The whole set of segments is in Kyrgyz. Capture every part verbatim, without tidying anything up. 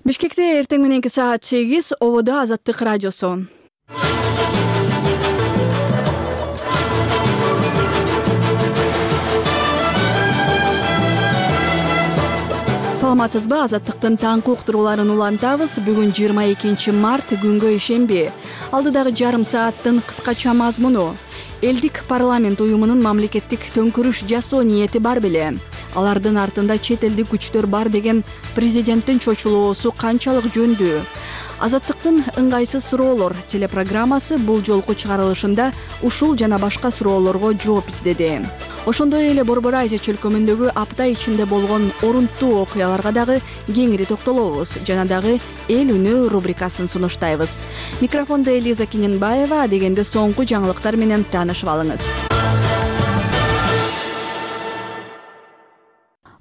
Бишкекте эртең мененки саат сегиз, ободо Азаттык радиосу. Саламатсызбы? Азаттыктын таңкы уктурууларын улантабыз. Бүгүн жыйырма экинчи март, күнгө ишемби. Алдыдагы жарым сааттын кыскача мазмуну. Элдик парламент уюмунун мамлекеттик төңкүрүш жасоо ниети бар беле? Алардын артында чет элдик күчтөр бар деген президенттин чочулоосу канчалык жөндүү? Азаттыктын ыңгайсыз суроолор телепрограммасы бул жолку чыгарылышында ушул жана башка суроолорго жооп издеди. Ошондой эле Борбор Азия чөлкөмүндөгү апта ичинде болгон орунттуу окуяларга дагы кеңири токтолобуз. Жана дагы эл үнү рубрикасын сунуштайбыз. Микрофондо Элиза Киненбаева, дегенде соңку жаңылыктар менен таанышып алыңыз.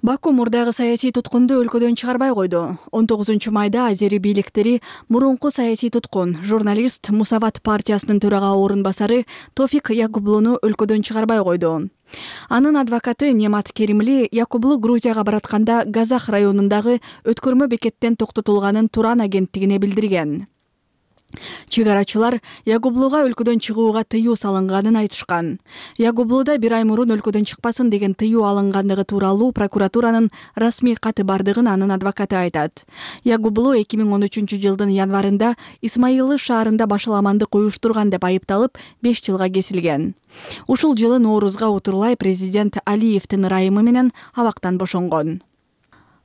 Баку мурдагы саясий туткунду өлкөдөн чыгарбай койду. он тогузунчу майда азери бийликтери мурунку саясий туткун, журналист Мусават партиясынын төрага орун басары Тофик Якублуну өлкөдөн чыгарбай койду. Анын адвокаты Немат Керимли Якублу Грузияга баратканда Газах районундагы өткөрмө бекеттен токтотулганын Туран агенттигине билдирген. Чыгарачылар Якублуга өлкөдөн чыгууга тыюу салынганын айтышкан. Якублуда бир ай мурун өлкөдөн чыкпасын деген тыюу алынгандыгы тууралуу прокуратуранын расмий каты бардыгын анын адвокаты айтат. Якублу эки миң он үчүнчү жылдын январында Исмаилы шаарында башаламандык уюштурган деп айыпталып беш жылга кесилген. Ушул жылы Ноорузга утурлай президент Алиевдин ырайымы менен абактан бошонгон.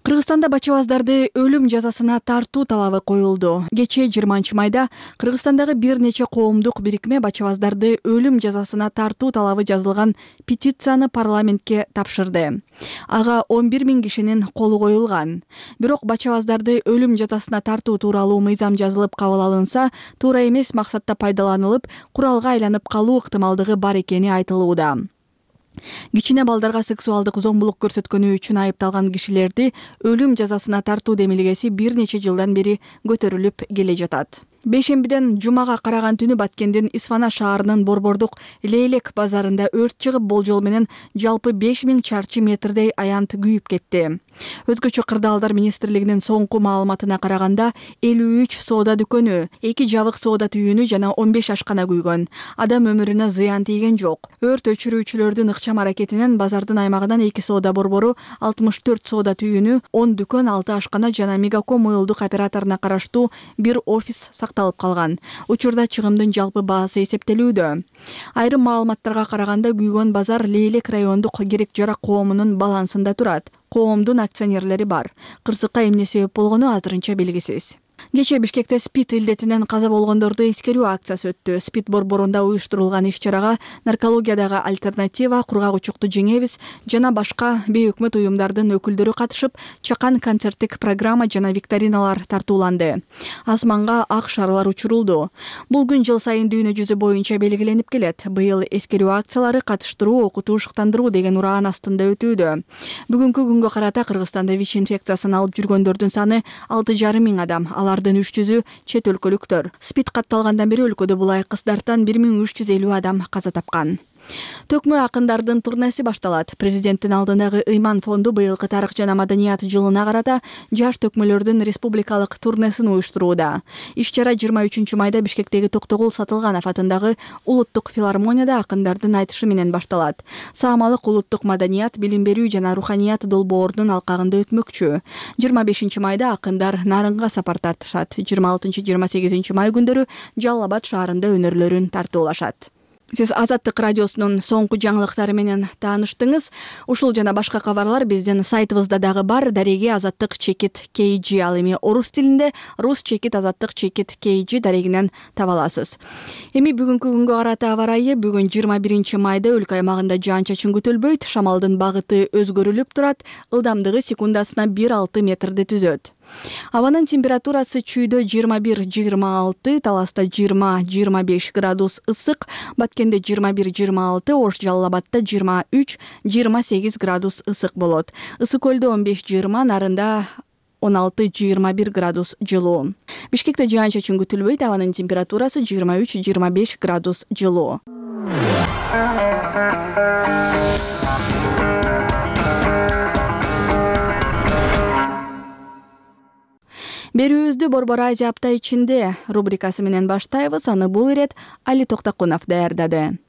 Кыргызстанда бачабаздарды өлүм жазасына тартуу талабы коюлду. Кечээ жыйырманчы майда Кыргызстандагы бир нече коомдук бирикме бачабаздарды өлүм жазасына тартуу талабы жазылган петицияны парламентке тапшырды. Ага он бир миң кишинин колу коюлган. Бирок бачабаздарды өлүм жазасына тартуу тууралуу мыйзам жазылып кабыл алынса, туура эмес максатта пайдаланылып, куралга айланып калуу ыктымалдыгы бар экени айтылууда. Кичине балдарга сексуалдык зомбулук көрсөткөнү үчүн айыпталган кишилерди өлүм жазасына тартуу демилгеси бир нече жылдан бери көтөрүлүп келе жатат. Бейшембиден жумага караган түнү Баткендин Исфана шаарынын Борбордук Лейлек базарында өрт чыгып, болжол менен жалпы беш миң чарчы метрдей аянт күйүп кетти. Өзгөчө кырдаалдар министрлигинин соңку маалыматына караганда элүү үч соода дүкөнү, эки жабык соода түйүнү жана он беш ашкана күйгөн. Адам өмүрүнө зыян тийген жок. Өрт өчүрүүчүлөрдүн ыкчам аракетинен базардын аймагынан эки соода борбору, алтымыш төрт соода түйүнү, он дүкөн, алты ашкана жана Мегаком уюлдук операторуна караштуу бир офис сакталып калган. Учурда чыгымдын жалпы баасы эсептелүүдө. Айрым маалыматтарга караганда күйгөн базар Лейлек райондук керек жарак коомунун балансында турат. Коомдун акционерлери бар. Кырсыкка эмне себеп болгону азырынча белгисиз. Кечээ Бишкекте СПИД илдетинен каза болгондорду эскерүү акциясы өттү. СПИД борборунда уюштурулган иш-чарага наркологиядагы альтернатива, кургак-учукту жеңебиз жана башка бейөкмөт уюмдардын өкүлдөрү катышып, чакан концерттик программа жана викториналар тартууланды. Асманга ак шарлар учурулду. Бул күн жыл сайын дүйнө жүзү боюнча белгиленип келет. Быйыл эскерүү акциялары катыштыруу, окутуу, шыктандыруу деген ураан астында өтүүдө. Бүгүнкү күнгө карата Кыргызстанда ВИЧ инфекциясын алып жүргөндөрдүн саны алты жарым миң адам. Алардын үч жүзү чет өлкөлүктөр. СПИД катталгандан бери өлкөдө булай кыздардан бир миң үч жүз элүү адам каза тапкан. Төкмө акындардын турнеси башталат. Президенттин алдындагы ыйман фонду быйылкы тарых жана маданият жылына карата жаш төкмөлөрдүн республикалык турнесин уюштурууда. Иш-чара жыйырма үчүнчү майда Бишкектеги Токтогул Сатылганов атындагы улуттук филармонияда акындардын айтышы менен башталат. Саамалык улуттук маданият, билим берүү жана руханият долбоорунун алкагында өтмөкчү. жыйырма бешинчи майда акындар Нарынга сапар тартышат. жыйырма алтынчы жыйырма сегизинчи май күндөрү Жалал Абад шаарында өнөрлөрүн тартуулашат. Сиз Азаттык радиосунун соңку жаңылыктары менен тааныштыңыз. Ушул жана башка кабарлар биздин сайтыбызда дагы бар. Дареги азаттык чекит кей жи, ал эми орус тилинде рус чекит азаттык чекит кей жи дарегинен таба аласыз. Эми бүгүнкү күнгө карата аба ырайы. Бүгүн жыйырма биринчи майда өлкө аймагында жаан-чачын күтүлбөйт. Шамалдын багыты өзгөрүлүп турат. Ылдамдыгы секундасына бир алты метрди түзөт. Абанын температурасы чүйдө жыйырма бир жыйырма алты, Таласта жыйырма жыйырма беш градус ысык, Баткенде жыйырма бир жыйырма алты, Ош Жалал Абадта жыйырма үч жыйырма сегиз градус ысык болот. Ысык көлдө он беш жыйырма, Нарында он алты жыйырма бир градус жылуу. Бишкекте жаан-чачын күтүлбөйт. Абанын температурасы жыйырма үч жыйырма беш градус жылуу. Берүүбүздү Борбор Азия апта ичинде рубрикасы менен баштайбыз. Аны бул ирет Али Токтокунов даярдады.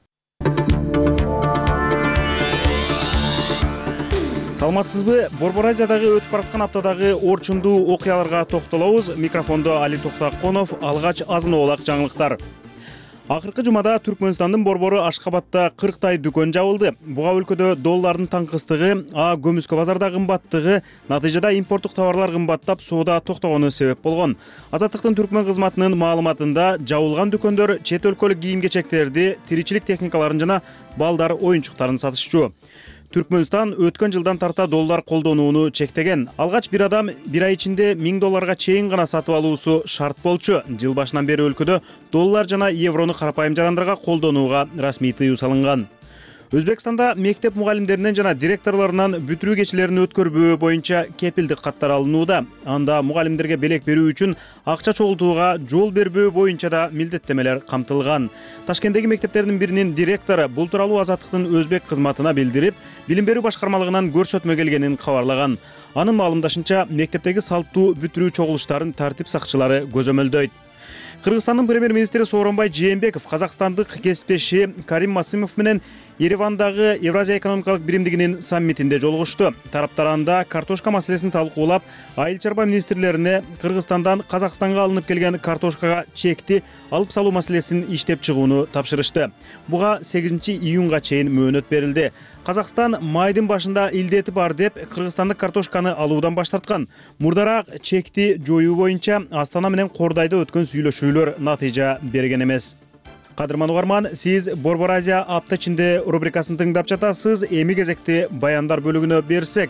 Саламатсызбы? Борбор Азиядагы өтүп бараткан аптадагы орчундуу окуяларга токтолобуз. Микрофондо Али Токтокунов. Алгач азын-оолак жаңылыктар. Акыркы жумада Түркмөнстандын борбору Ашкабадда кырктай дүкөн жабылды. Буга өлкөдө доллардын таңкыстыгы, а көмүскө базарда кымбаттыгы, натыйжада импорттук товарлар кымбаттап, соода токтогону себеп болгон. Азаттыктын түркмөн кызматынын маалыматында жабылган дүкөндөр чет өлкөлүк кийим-кечектерди, тиричилик техникаларын жана балдар оюнчуктарын сатышчу. Түркмөнстан өткөн жылдан тарта доллар колдонууну чектеген. Алгач бир адам бир ай ичинде миң долларга чейин гана сатып алуусу шарт болчу. Жыл башынан бери өлкөдө доллар жана еврону карапайым жарандарга колдонууга расмий тыюу салынган. Өзбекстанда мектеп мугалимдеринен жана директорлорунан бүтүрүү кечелерин өткөрбөө боюнча кепилдик каттар алынууда. Анда мугалимдерге белек берүү үчүн акча чогултууга жол бербөө боюнча да милдеттемелер камтылган. Ташкенттеги мектептердин биринин директору бул тууралуу Азаттыктын өзбек кызматына билдирип, билим берүү башкармалыгынан көрсөтмө келгенин кабарлаган. Анын маалымдашынча, мектептеги салттуу бүтүрүү чогулуштарын тартип сакчылары көзөмөлдөйт. Кыргызстандын премьер-министри Сооронбай Жээнбеков казакстандык кесиптеши Карим Масымов менен Еревандагы Евразия экономикалык биримдигинин саммитинде жолугушту. Тараптар анда картошка маселесин талкуулап, айыл чарба министрлерине Кыргызстандан Казакстанга алынып келген картошкага чекти алып салуу маселесин иштеп чыгууну тапшырышты. Буга сегизинчи июнга чейин мөөнөт берилди. Казакстан майдын башында илдети бар деп кыргызстандык картошканы алуудан баш тарткан. Мурдараак чекти жоюу боюнча Астана менен Кордайда өткөн сүйлөшүүлөр натыйжа берген эмес. Кадырман угарман, сиз Борбор Азия апта ичинде рубрикасын тыңдап жатасыз. Эми кезекти баяндар бөлүгүнө берсек.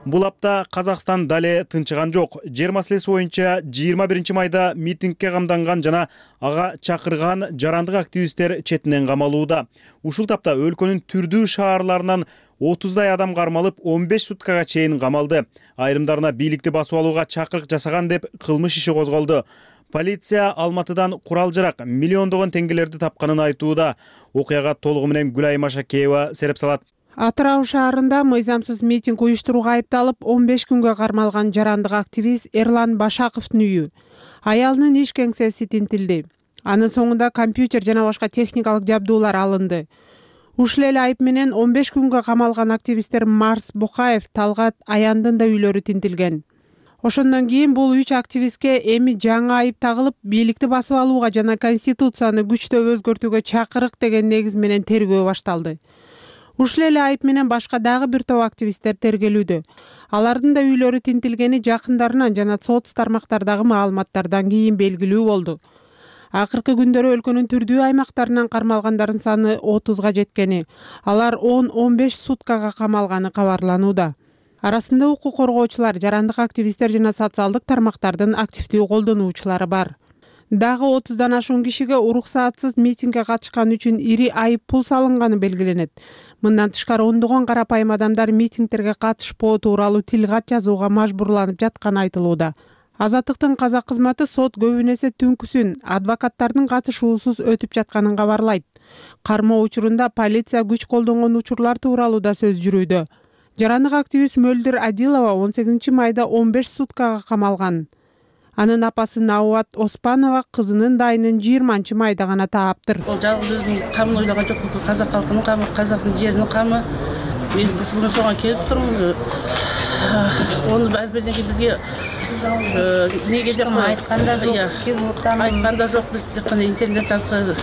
Бул апта Казакстан дале тынчыган жок. Жер маселеси боюнча жыйырма биринчи майда митингге камданган жана ага чакырган жарандык активисттер четинен камалууда. Ушул тапта өлкөнүн түрдүү шаарларынан отуздай адам кармалып, он беш суткага чейин камалды. Айрымдарына бийликти басып алууга чакырык жасаган деп кылмыш иши козголду. Полиция Алматыдан курал-жарак миллиондогон теңгелерди тапканын айтууда. Окуяга толугу менен Гүлайым Ашакеева сереп салат. Атырау шаарында мыйзамсыз митинг уюштурууга айыпталып, он беш күнгө кармалган жарандык активист Эрлан Башаковдун үйү, аялынын иш кеңсеси тинтилди. Анын соңунда компьютер жана башка техникалык жабдуулар алынды. Ушул эле айып менен он беш күнгө камалган активисттер Марс Букаев, Талгат Аяндын да үйлөрү тинтилген. Ошондон кийин бул үч активистке эми жаңы айып тагылып, бийликти басып алууга жана конституцияны күчтөп өзгөртүүгө чакырык деген негиз менен тергөө башталды. Ушул эле айып менен башка дагы бир топ активисттер тергелүүдө. Алардын да үйлөрү тинтилгени жакындарынан жана соц тармактардагы маалыматтардан кийин белгилүү болду. Акыркы күндөрү өлкөнүн түрдүү аймактарынан кармалгандардын саны отузга жеткени, алар он он беш суткага камалганы кабарланууда. Арасында укук коргоочулар, жарандык активисттер жана социалдык тармактардын активдүү колдонуучулары бар. Дагы отуздан ашуун кишиге уруксаатсыз митингге катышкан үчүн ири айып пул салынганы белгиленет. Мындан тышкары ондогон карапайым адамдар митингтерге катышпоо тууралуу тил кат жазууга мажбурланып жатканы айтылууда. Азаттыктын казак кызматы сот көбүн эсе түнкүсүн адвокаттардын катышуусуз өтүп жатканын кабарлайт. Кармоо учурунда полиция күч колдонгон учурлар тууралуу да сөз жүрүүдө. Жарандык активист Мөлдүр Адилова он сегизинчи майда он беш суткага камалган. Анын апасы Науат Оспанова кызынын дайынын жыйырманчы майда гана тааптыр. Ол жалгыз өзүнүн камын ойлогон жок, бүкүл казак калкынын камы, казактын жеринин камы. Мен бул соңга келип турмун. Оны албетте бизге неге деп айтканда жок, кизуттан айтканда жок, биз тек кана интернет аркылуу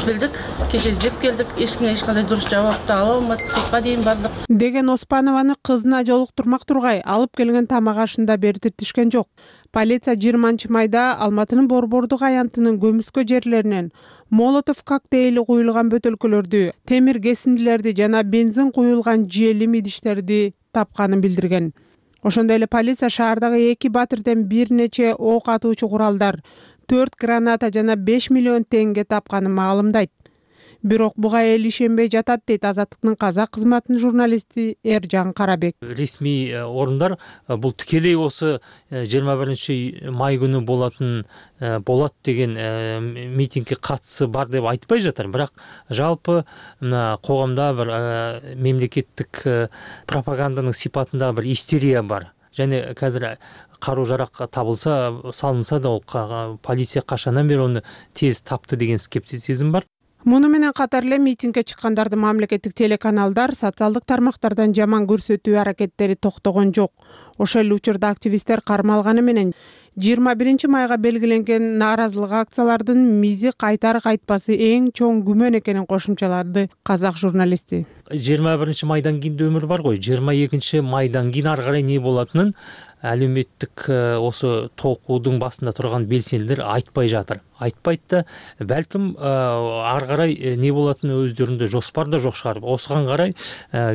билдик, кеше издеп келдик, эч кимге эч кандай дурус жаап да ала алмадык, сотко дейин бардык деген Оспанованы кызына жолуктурмак тургай алып келген тамак ашында бертиртишкен жок. Полиция жыйырманчы майда Алматынын Борбордук аянтынын көмүскө жерлеринен молотов коктейли куюлган бөтөлкөлөрдү, темир кесиндилерди жана бензин куюлган желим идиштерди тапканын билдирген. Ошондой эле полиция шаардагы эки батирден бир нече ок атуучу куралдар, төрт граната жана беш миллион теңге тапканын маалымдайт. Бирок буга эл ишенбей жатат дейт Азаттыктын казак кызматынын журналисти Эржан Карабек. Ресми орундар бул тикелей осы жыйырма биринчи май күнү болатын болот деген митингге катысы бар деп айтпай жатыр. Бирок жалпы коомдо бир мемлекеттик пропаганданын сипатында бир истерия бар. және қазір каруу жарак табылса, салынса да, ол полиция кашандан бери оны тез тапты деген скептицизм бар. Муну менен катар эле митингге чыккандарды мамлекеттик телеканалдар социалдык тармактардан жаман көрсөтүү аракеттери токтогон жок. Ошол эле учурда активисттер кармалганы менен жыйырма биринчи майга белгиленген нааразылык акциялардын мизи кайтары кайтпасы эң чоң күмөн экенин кошумчалады казак журналисти. жыйырма биринчи майдан кийин да өмүр бар го. жыйырма экинчи майдан кийин ары карай эмне болотунун әлеуметтік осы толкуудун басында турган белсендилер айтпай жатыр. Айтпайт да, бәлким ары карай не болатыны өздөрүндө жоспар да жок шығар. Осыған қарай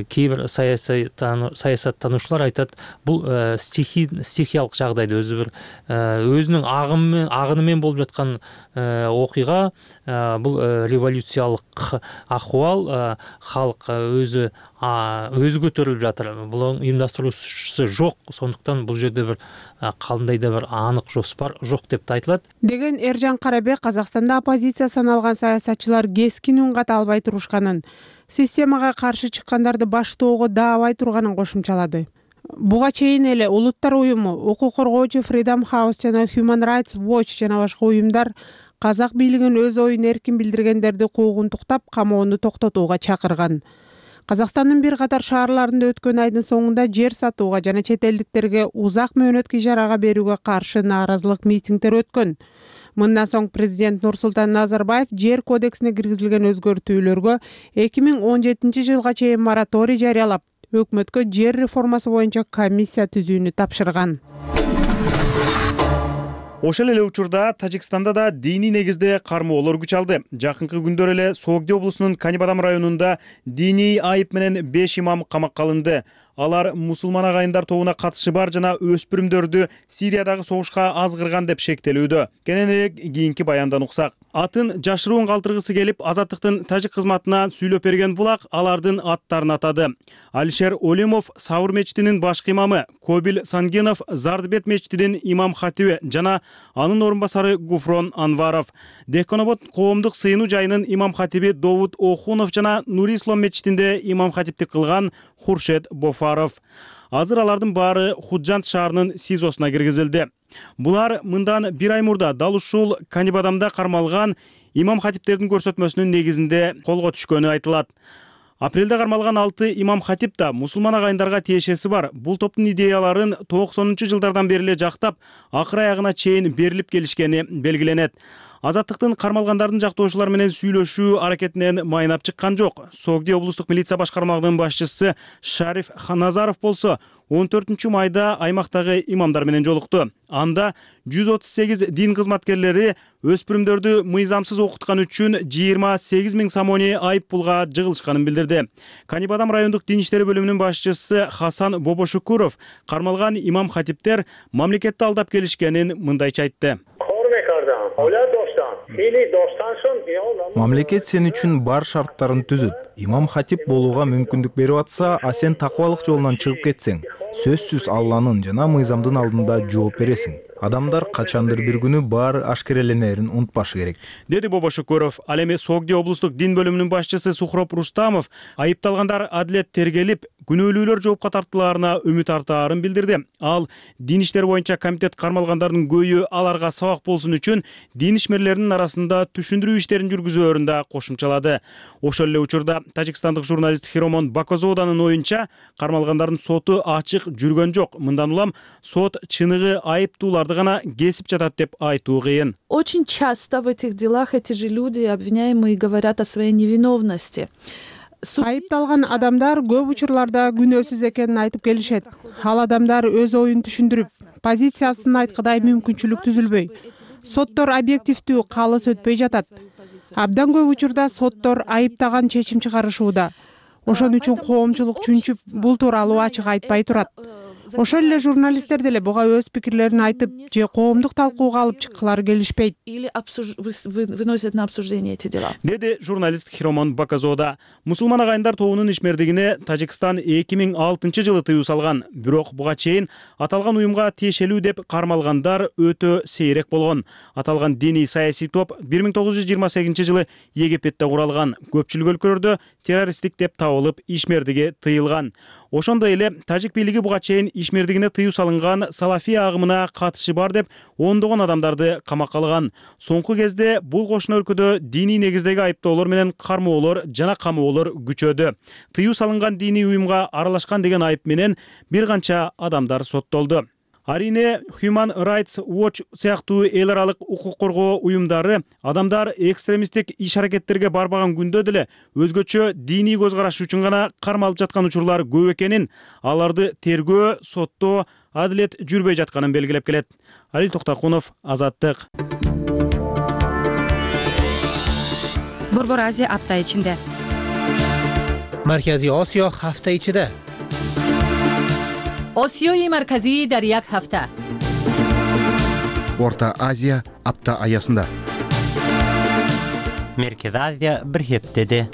кейбір саясаттанушылар айтат, бул стихиялык жагдайда өзү бир өзүнүн агынымен болуп жаткан окуйга, бул революциялык акыбал, халык өзү өзү көтөрүлүп жатыр. Бул уюмдастыруучусу жок, сондуктан бул жерде бир кандай да бир анык жоспар жок деп да айтылат. Деген Эржан Карабек Казакстанда оппозиция саналган саясатчылар кескин үн ката албай турушканын, системага каршы чыккандарды баштоого даабай турганын кошумчалады. Буга чейин эле Улуттар уюму, укук коргоочу Freedom House жана Human Rights Watch жана башка уюмдар казак бийлигин өз оюн эркин билдиргендерди куугунтуктап, камоону токтотууга чакырган. Казакстандын бир катар шаарларында өткөн айдын соңунда жер сатууга жана чет элдиктерге узак мөөнөткө ижарага берүүгө каршы нааразылык митингдер өткөн. Мындан соң президент Нурсултан Назарбаев жер кодексине киргизилген өзгөртүүлөргө эки миң он жетинчи жылга чейин мораторий жарыялап, өкмөткө жер реформасы боюнча комиссия түзүүнү тапшырган. Ошол эле учурда Тажикстанда да диний негизде кармоолор күч алды. Жакынкы күндөр эле Согди облусунун Канибадам районунда диний айып менен беш имам камакка алынды. Алар мусулман агайындар тобуна катышы бар жана өспүрүмдөрдү Сириядагы согушка азгырган деп шектелүүдө. Кененирээк кийинки баяндан уксак. Атын жашыруун калтыргысы келип, Азаттыктын тажик кызматына сүйлөп берген булак алардын аттарын атады. Алишер Олимов Саур мечитинин башкы имамы, Кобил Сангенов Зардыбет мечитинин имам хатиби жана анын орун басары Гуфрон Анваров. Деконобод коомдук сыйынуу жайынын имам хатиби Довуд Охунов жана Нури Ислам мечитинде имам хатиптик кылган Хуршед Бофаров. Азыр алардын баары Худжант шаарынын СИЗОсуна киргизилди. Булар мындан бир ай мурда дал ушул Канибадамда кармалган имам хатиптердин көрсөтмөсүнүн негизинде колго түшкөнү айтылат. Апрелде кармалган алты имам хатип да мусулман агайындарга тиешеси бар. Бул топтун идеяларын токсонунчу жылдардан бери эле жактап, акыр аягына чейин берилип келишкени белгиленет. Азаттыктын кармалгандардын жактоочулар менен сүйлөшүү аракетинен майнап чыккан жок. Согди облустук милиция башкармалыгынын башчысы Шариф Ханазаров болсо он төртүнчү майда аймактагы имамдар менен жолукту. Анда жүз отуз сегиз дин кызматкерлери өспүрүмдөрдү мыйзамсыз окуткан үчүн жыйырма сегиз миң сомони айып пулга жыгылышканын билдирди. Канибадам райондук дин иштери бөлүмүнүн башчысы Хасан Бобошукуров кармалган имам хатиптер мамлекетти алдап келишкенин мындайча айтты. Мамлекет сен үчүн бар шарттарын түзүт. Имам хатип болууга мүмкүндүк берип атса, а сен такыбалык жолунан чыгып кетсең, сөзсүз Алланын жана мыйзамдын алдында жооп бересиң. Адамдар качандыр бир күнү баары ашкереленерин унутпашы керек, деди Бобошукуров. Ал эми Согди облустук дин бөлүмүнүн башчысы Сухроп Рустамов айыпталгандар адилет тергелип, күнөөлүүлөр жоопко тартылаарына үмүт артаарын билдирди. Ал дин иштери боюнча комитет кармалгандардын көйү аларга сабак болсун үчүн дин ишмерлеринин арасында түшүндүрүү иштерин жүргүзөөрүн да кошумчалады. Ошол эле учурда тажикстандык журналист Хиромон Бакозоданын оюнча кармалгандардын соту ачык жүргөн жок. Мындан улам сот чыныгы айыптууларды гана кесип жатат деп айтуу кыйын. Очень часто в этих делах эти же люди, обвиняемые, говорят о своей невиновности. Айыпталган адамдар көп учурларда күнөөсүз экенин айтып келишет. Ал адамдар өз оюн түшүндүрүп, позициясын айткыдай мүмкүнчүлүк түзүлбөй. Соттор объективдүү калыс өтпөй жатат. Абдан көп учурда соттор айыптаган чечим чыгарышууда. Ошон үчүн коомчулук чүнчүп бул тууралуу ачык айтпай турат. Ошол эле журналисттер деле буга өз пикирлерин айтып, же коомдук талкууга алып чыккылары келишпейт. Или выносят на обсуждение эти дела. Деди журналист Хиромон Бакозода. Мусулман агайындар тобунун ишмердигине Тажикстан эки миң алтынчы жылы тыюу салган. Бирок буга чейин аталган уюмга тиешелүү деп кармалгандар өтө сейрек болгон. Аталган диний саясий топ бир миң тогуз жүз жыйырма сегизинчи жылы Египетте куралган. Көпчүлүк өлкөлөрдө террористтик деп табылып ишмердиги тыйылган. Ошондой эле тажик бийлиги буга чейин ишмердигине тыюу салынган салафия агымына катышы бар деп ондогон адамдарды камакка алган. Соңку кезде бул кошуна өлкөдө диний негиздеги айыптоолор менен кармоолор жана камоолор күчөдү. Тыюу салынган диний уюмга аралашкан деген айып менен бир канча адамдар соттолду. Арине Human Rights Watch сыяктуу эл аралык укук коргоо уюмдары адамдар экстремисттик иш-аракеттерге барбаган күндө деле өзгөчө диний көз караш үчүн гана кармалып жаткан учурлар көп экенин, аларды тергөө, соттоо, адилет жүрбөй жатканын белгилеп келет. Алил Токтакунов, Азаттык. Борбор Азия апта ичинде. Марказий Осиё ҳафта ичида. Осиёи марказӣ дар як ҳафта. Орта Азия апта аясында. Меркез Азия бир ҳептеде.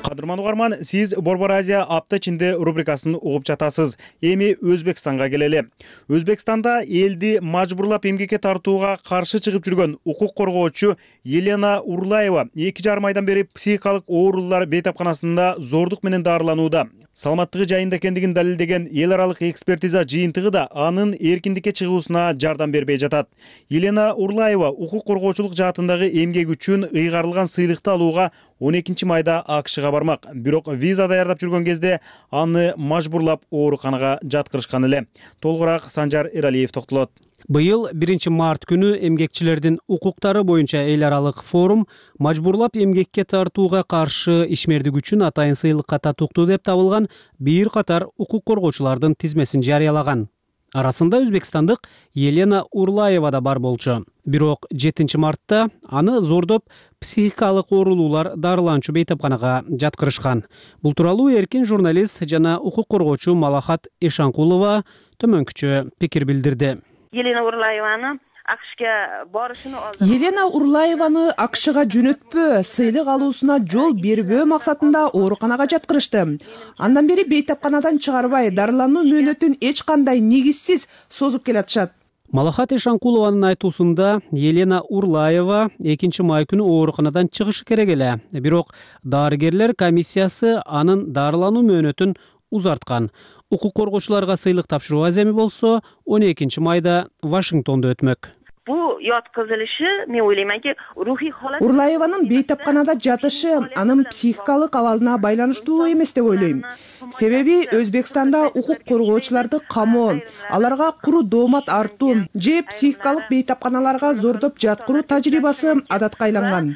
Кадырман угарман, сиз Борбор Азия апта ичинде рубрикасын угуп жатасыз. Эми Өзбекстанга келели. Өзбекстанда элди мажбурлап эмгекке тартууга каршы чыгып жүргөн укук коргоочу Елена Урлаева эки жарым айдан бери психикалык оорулар бейтапканасында зордук менен дарыланууда. Саламаттыгы жайында экендигин далилдеген эл аралык экспертиза жыйынтыгы да анын эркиндикке чыгуусуна жардам бербей жатат. Елена Урлаева укук коргоочулук жаатындагы эмгеги үчүн ыйгарылган сыйлыкты алууга он экинчи майда АКШга бармак. Бирок виза даярдап жүргөн кезде аны мажбурлап ооруканага жаткырышкан эле. Толугураак Санжар Эралиев токтолот. Быйыл биринчи март күнү эмгекчилердин укуктары боюнча эл аралык форум мажбурлап эмгекке тартууга каршы ишмердик үчүн атайын сыйлыкка татыктуу деп табылган бир катар укук коргоочулардын тизмесин жарыялаган. Арасында өзбекстандык Елена Урлаева да бар болчу. Бирок жетинчи мартта аны зордоп психикалык оорулуулар дарыланчу бейтапканага жаткырышкан. Бул тууралуу эркин журналист жана укук коргоочу Малахат Эшанкулова төмөнкүчө пикир билдирди. Елена Урлаеваны АКШга борушуну алды. Елена Урлаеваны АКШга жөнөтпөө, сыйлык алуусуна жол бербөө максатында ооруканага жаткырышты. Андан бери бейтапканадан чыгарбай, дарылануу мөөнөтүн эч кандай негизсиз созуп келатышат. Малахат Эшанкулованын айтуусунда Елена Урлаева экинчи май күнү ооруканадан чыгышы керек эле. Бирок дарыгерлер комиссиясы анын дарылануу мөөнөтүн узарткан. Укук коргоочуларга сыйлык тапшыруу аземи болсо он экинчи майда Вашингтондо өтмөк. Бул өткөзүлүшү, мен ойлойманки, рухий халат. Урлаеванын бейтапканада жатышы анын психикалык абалына байланыштуу эмес деп ойлойм. Себеби Өзбекстанда укук коргоочуларды камоо, аларга куру доомат артуу же психикалык бейтапканаларга зордоп жаткыруу тажрыйбасы адатка айланган.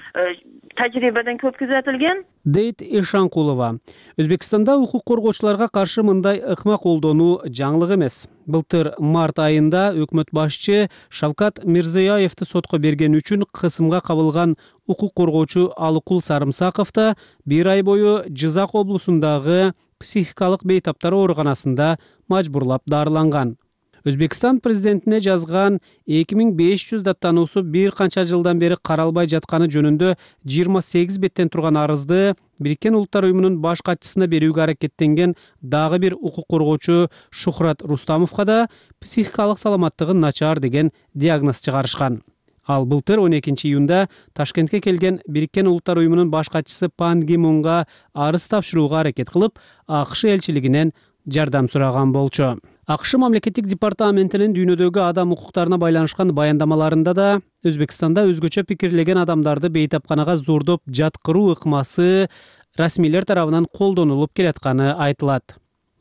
Тажрыйбадан көп күзөтүлгөн. Дейт Эшанкулова. Өзбекстанда укук коргоочуларга каршы мындай ыкма колдонуу жаңылык эмес. Былтыр март айында өкмөт башчы Шавкат Мирзияевди сотко берген үчүн кысымга кабылган укук коргоочу Алыкул Сарымсаков да бир ай бою Жизак облусундагы психикалык бейтаптар ооруканасында мажбурлап дарыланган. Өзбекстан президентине жазган эки миң беш жүз даттануусу бир канча жылдан бери каралбай жатканы жөнүндө жыйырма сегиз беттен турган арызды Бириккен Улуттар уюмунун баш катчысына берүүгө аракеттенген дагы бир укук коргоочу Шухрат Рустамовго да психикалык саламаттыгы начар деген диагноз чыгарышкан. Ал былтыр он экинчи июнда Ташкентке келген Бириккен Улуттар уюмунун баш катчысы Пан Ги Мунга арыз тапшырууга аракет кылып, АКШ элчилигинен жардам сураган болчу. АКШ мамлекеттик департаментинин дүйнөдөгү адам укуктарына байланышкан баяндамаларында да Өзбекстанда өзгөчө пикирлеген адамдарды бейтапканага зордоп жаткыруу ыкмасы расмийлер тарабынан колдонулуп келатканы айтылат.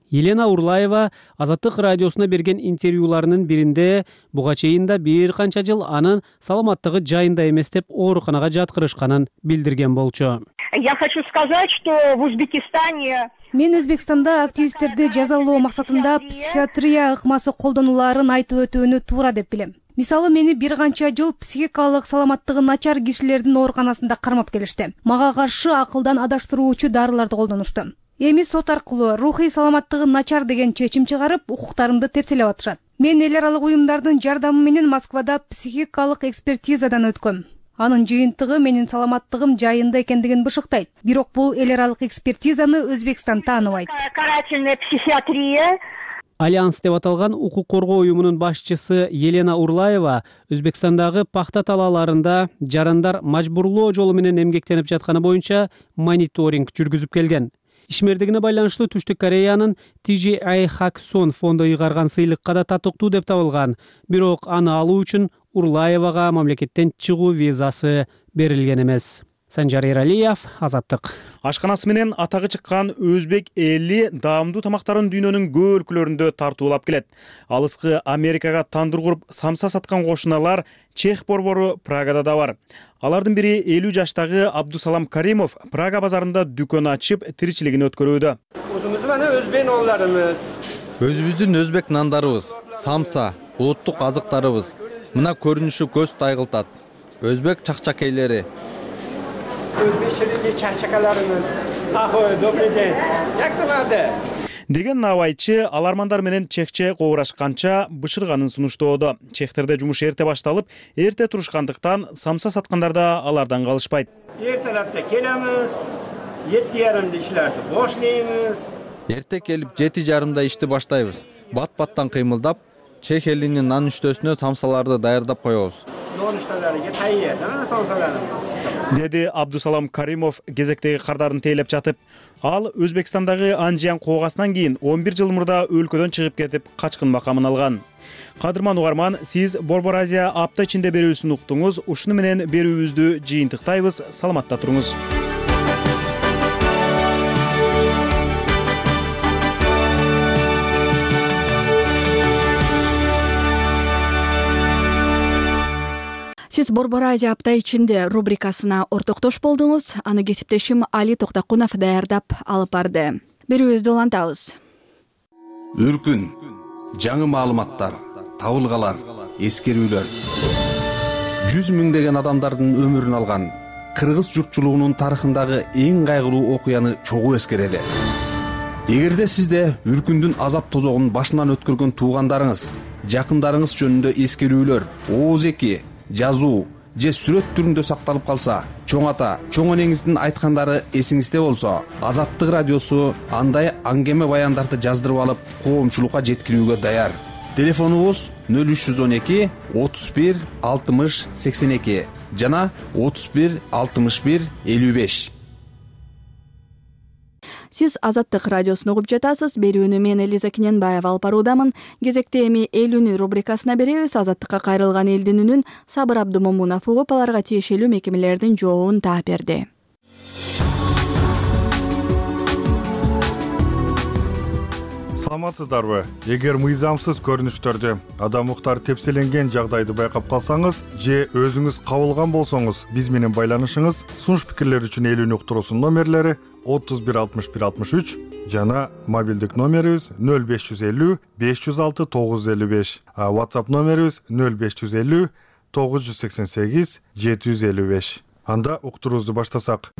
Елена Урлаева Азаттык радиосуна берген интервьюларынын биринде буга чейин да бир канча жыл анын саламаттыгы жайында эмес деп ооруканага жаткырышканын билдирген болчу. Я хочу сказать, что в Узбекистане Мен Өзбекстанда активисттерди жазалоо максатында психиатрия ыкмасы колдонуларын айтып өтүүнү туура деп билем. Мисалы, мени бир канча жыл психикалык саламаттыгы начар кишилердин ооруканасында кармап келишти. Мага каршы акылдан адаштыруучу дарыларды колдонушту. Эми сот аркылуу рухий саламаттыгы начар деген чечим чыгарып, укуктарымды тепселеп атышат. Мен эл аралык уюмдардын жардамы менен Москвада психикалык экспертизадан өткөм. Анын жыйынтыгы менин саламаттыгым жайында экендигин бышыктайт. Бирок бул эл аралык экспертизаны Өзбекстан тааныбайт. Карательная психиатрия. Альянс деп аталган укук коргоо уюмунун башчысы Елена Урлаева Өзбекстандагы пахта талааларында жарандар мажбурлоо жолу менен эмгектенип жатканы боюнча мониторинг жүргүзүп келген. Ишмердигине байланыштуу Түштүк Кореянын Ти Джи Ай Хаксон фонду ыйгарган сыйлыкка да татыктуу деп табылган. Бирок аны алуу үчүн Урлаевага мамлекеттен чыгуу визасы берилген эмес. Санжар Эралиев, Азаттык. Ашканасы менен атагы чыккан өзбек эли даамдуу тамактарын дүйнөнүн көп өлкөлөрүндө тартуулап келет. Алыскы Америкага тандыр куруп самса саткан кошуналар Чех борбору Прагада да бар. Алардын бири элүү жаштагы Абдусалам Каримов Прага базарында дүкөн ачып, тиричилигин өткөрүүдө. Өзүбүз менен өзбек нандарыбыз. Өзүбүздүн өзбек нандарыбыз, самса, улуттук азыктарыбыз. Мына көрүнүшү көз тайгылтат. Өзбек чакчакейлери. Өзбекчеде чакчакаларыбыз. Ахой, добрый день. Яксыңарды? Деген набайчы алармандар менен чехче кобурашканча бышырганын сунуштоодо. Чехтерде жумуш эрте башталып, эрте турушкандыктан самса саткандар да алардан калышпайт. Эртелерде келемиз, жети жарымда ишлерди бошлойбуз. Эрте келип жети жарымда ишти баштайбыз. Бат-баттан кыймылдап, чех элинин нан үчтөсүнө самсаларды даярдап коебуз. Деди Абдусалам Каримов кезектеги кардарын тейлеп жатып. Ал Өзбекстандагы Анжиян коогасынан кийин он бир жыл мурда өлкөдөн чыгып кетип, качкын макамын алган. Кадырман угарман, сиз Борбор Азия апта ичинде берүүсүн уктуңуз. Ушуну менен берүүбүздү жыйынтыктайбыз. Саламатта туруңуз. Сиз Борбор Азия апта ичинде рубрикасына ортоктош болдуңуз. Аны кесиптешим Али Токтакунов даярдап алып барды. Берүүбүздү улантабыз. Үркүн, жаңы маалыматтар, табылгалар, эскерүүлөр. Жүз миңдеген адамдардын өмүрүн алган кыргыз журтчулугунун тарыхындагы эң кайгылуу окуяны чогуу эскерели. Эгерде сизде үркүндүн азап тозогун башынан өткөргөн туугандарыңыз, жакындарыңыз жөнүндө эскерүүлөр, ооз эки, жазуу же сүрөт түрүндө сакталып калса, чоң ата, чоң энеңиздин айткандары эсиңизде болсо, Азаттык радиосу андай аңгеме баяндарды жаздырып алып, коомчулукка жеткирүүгө даяр. Телефонубуз нөл үч жүз он эки отуз бир алтымыш сексен эки жана отуз бир алтымыш бир элүү беш. Сиз Азаттык радиосун угуп жатасыз. Берүүнү мен Элиза Кененбаева алып баруудамын. Кезекте эми элүүнү рубрикасына беребиз. Азаттыкка кайрылган элдин үнүн Сабыр Абдумомунов угуп, аларга тиешелүү мекемелердин жообун таап берди. Саламатсыздарбы? Эгер мыйзамсыз көрүнүштөрдү, адам укуктары тепселенген жагдайды байкап калсаңыз же өзүңүз кабылган болсоңуз, биз менен байланышыңыз. Сунуш пикирлер үчүн элүүнү уктуруусунун номерлери отуз бир алтымыш бир алтымыш үч жана мобилдик номерибиз нөл беш жүз элүү беш жүз алты тогуз жүз элүү беш. WhatsApp номерибиз нөл беш жүз элүү тогуз жүз сексен сегиз жети жүз элүү беш. Анда уктуруубузду баштасак.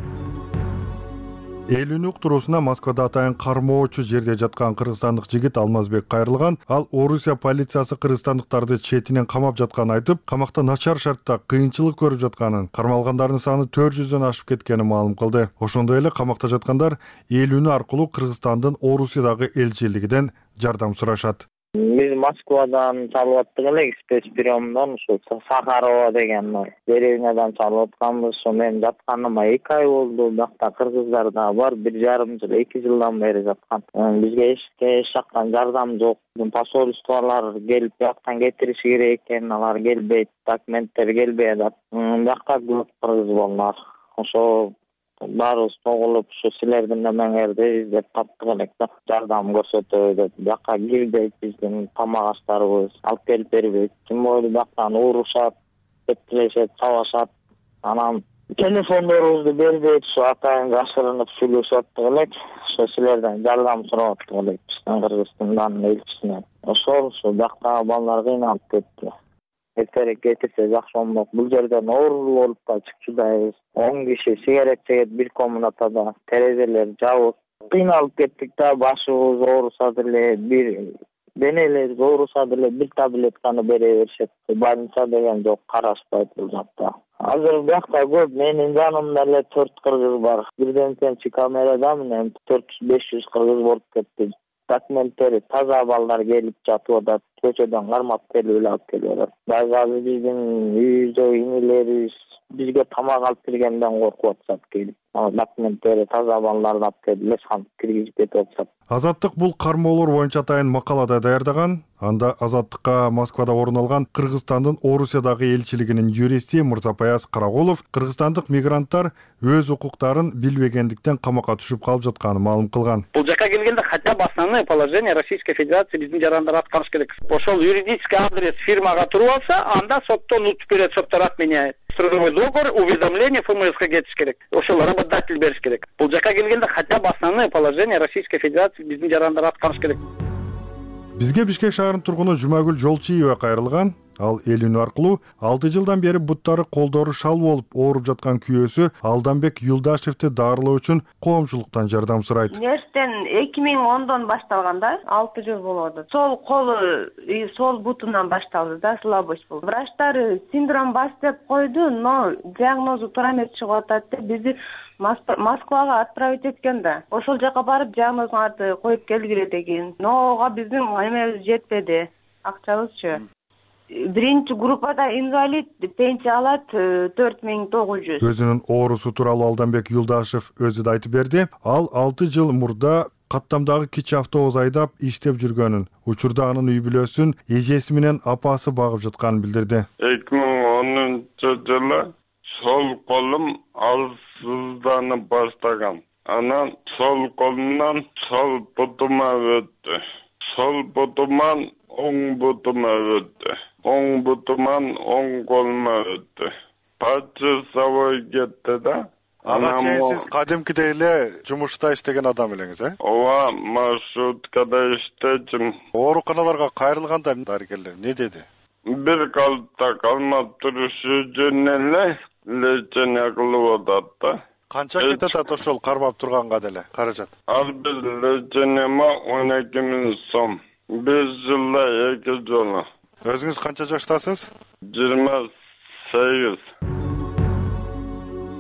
Элүүнү уктуруусуна Москвада атайын кармоочу жерде жаткан кыргызстандык жигит Алмазбек кайрылган. Ал Орусия полициясы кыргызстандыктарды четинен камап жатканын айтып, камакта начар шартта кыйынчылык көрүп жатканын, кармалгандардын саны төрт жүздөн ашып кеткенин маалым кылды. Ошондой эле камакта жаткандар элүүнү аркылуу Кыргызстандын Орусиядагы элчилигинен жардам сурашат. Биз Москвадан чалып аттык элек, спецприемдон ушу Сахарова деген деревнядан чалып атканбыз. Ошо мен жатканыма эки ай болду. Биякта кыргыздар да бар, бир жарым жыл, эки жылдан бери жаткан. Бизге эч эч жактан жардам жок. Посольстволор келип бияктан кетириши керек экен, алар келбейт, документтер келбей атат. Биякта көп кыргыз балдар. Ошо баарыбыз тогулуп ушу силердин немеңерди издеп таптык элек да, жардам көрсөтөбү деп. Бияка кирбейт биздин тамак аштарыбыз, алып келип бербейт. Ким бойлу бияктан урушат, тепкилешет, сабашат. Анан телефондорубузду бербейт, ушу атайын жашырынып сүйлөшүп аттык элек. Ошо силерден жардам сурап аттык элек биздин Кыргызстандын элчисине. Ошол ушу бияктагы балдар кыйналып кетти. Эртерээк кетирсе жакшы болмок. Бул жерден оорулуу болуп да чыкчудайбыз. он киши сигарет чегет бир комнатада, терезелер жабык. Кыйналып кеттик да, башыбыз оорусат эле, бир денелерибиз оорусат эле, бир таблетканы бере беришет. Больница деген жок, карашпайт бул жакта. Азыр биякта көп, менин жанымда эле төрт кыргыз бар. Бирден камерада менен төрт жүз беш жүз кыргыз болуп кетти. документтери таза балдар келип жатып атат, көчөдөн кармап келип эле алып келип атат. Дагы азыр биздин үйүздөгү инелерибиз бизге тамак алып келгенден коркуп атышат келип. Документтери таза балдарды алып келип лесханып киргизип кетип атышат. Азаттык бул кармоолор боюнча атайын макалада даярдаган. Анда Азаттыкка Москвада орун алган Кыргызстандын Орусиядагы элчилигинин юристи Мырзапаяз Карагулов кыргызстандык мигранттар өз укуктарын билбегендиктен камакка түшүп калып жатканын маалым кылган. Бул жака келгенде хотя бы основные положения Российской Федерации биздин жарандар аткарыш керек. Ошол юридический адрес фирмага туруп алса, анда соттон утуп берет, соттор отменяет. Трудовой договор, уведомление ФМСга кетиш керек. Ошол работодатель бериш керек. Бул жака келгенде хотя бы основные положения Российской Федерации биздин жарандар аткарыш керек. Бизге Бишкек шаарынын тургуну Жумагүл Жолчиева кайрылган. Ал эл үнү аркылуу алты жылдан бери буттары колдору шал болуп ооруп жаткан күйөөсү Алданбек Юлдашевди дарылоо үчүн коомчулуктан жардам сурайт. Нерстен эки миң ондон башталган да, алты жыл болот. Сол колу, сол бутунан башталды да, слабость болду. Врачтар синдром ВАЗ деп койду, но диагнозу туура эмес чыгып атат деп бизди Москвага отправить эткен да. Ошол жака барып диагнозуңарды коюп келгиле деген. Но ого биздин эмебиз жетпеди, акчабызчы. Биринчи группада инвалид, пенсия алат төрт миң тогуз жүз. Өзүнүн оорусу тууралуу Алданбек Юлдашев өзү да айтып берди. Ал алты жыл мурда каттамдагы кичи автобус айдап иштеп жүргөнүн, учурда анын үй бүлөсүн эжеси менен апасы багып жатканын билдирди. эки миң онунчу жылы сол колум алсызданып баштаган. Анан сол колумдан сол бутума өттү. Сол бутуман оң бутума өттү. Оң бутуман оң колума өттү. Пачасовой кетти да. Ага чейин сиз кадимкидей эле жумушта иштеген адам элеңиз, э? Ооба, маршруткада иштечим. Ооруканаларга кайрылганда дарыгерлер эмне деди? Бир калыпта калмап турушу үчүн эле лечение кылып атат да. Канча кетет ошол кармап турганга деле каражат? Ар бир лечениема он эки миң сом. беш жылда эки жолу. Өзүңүз канча жаштасыз? жыйырма сегиз.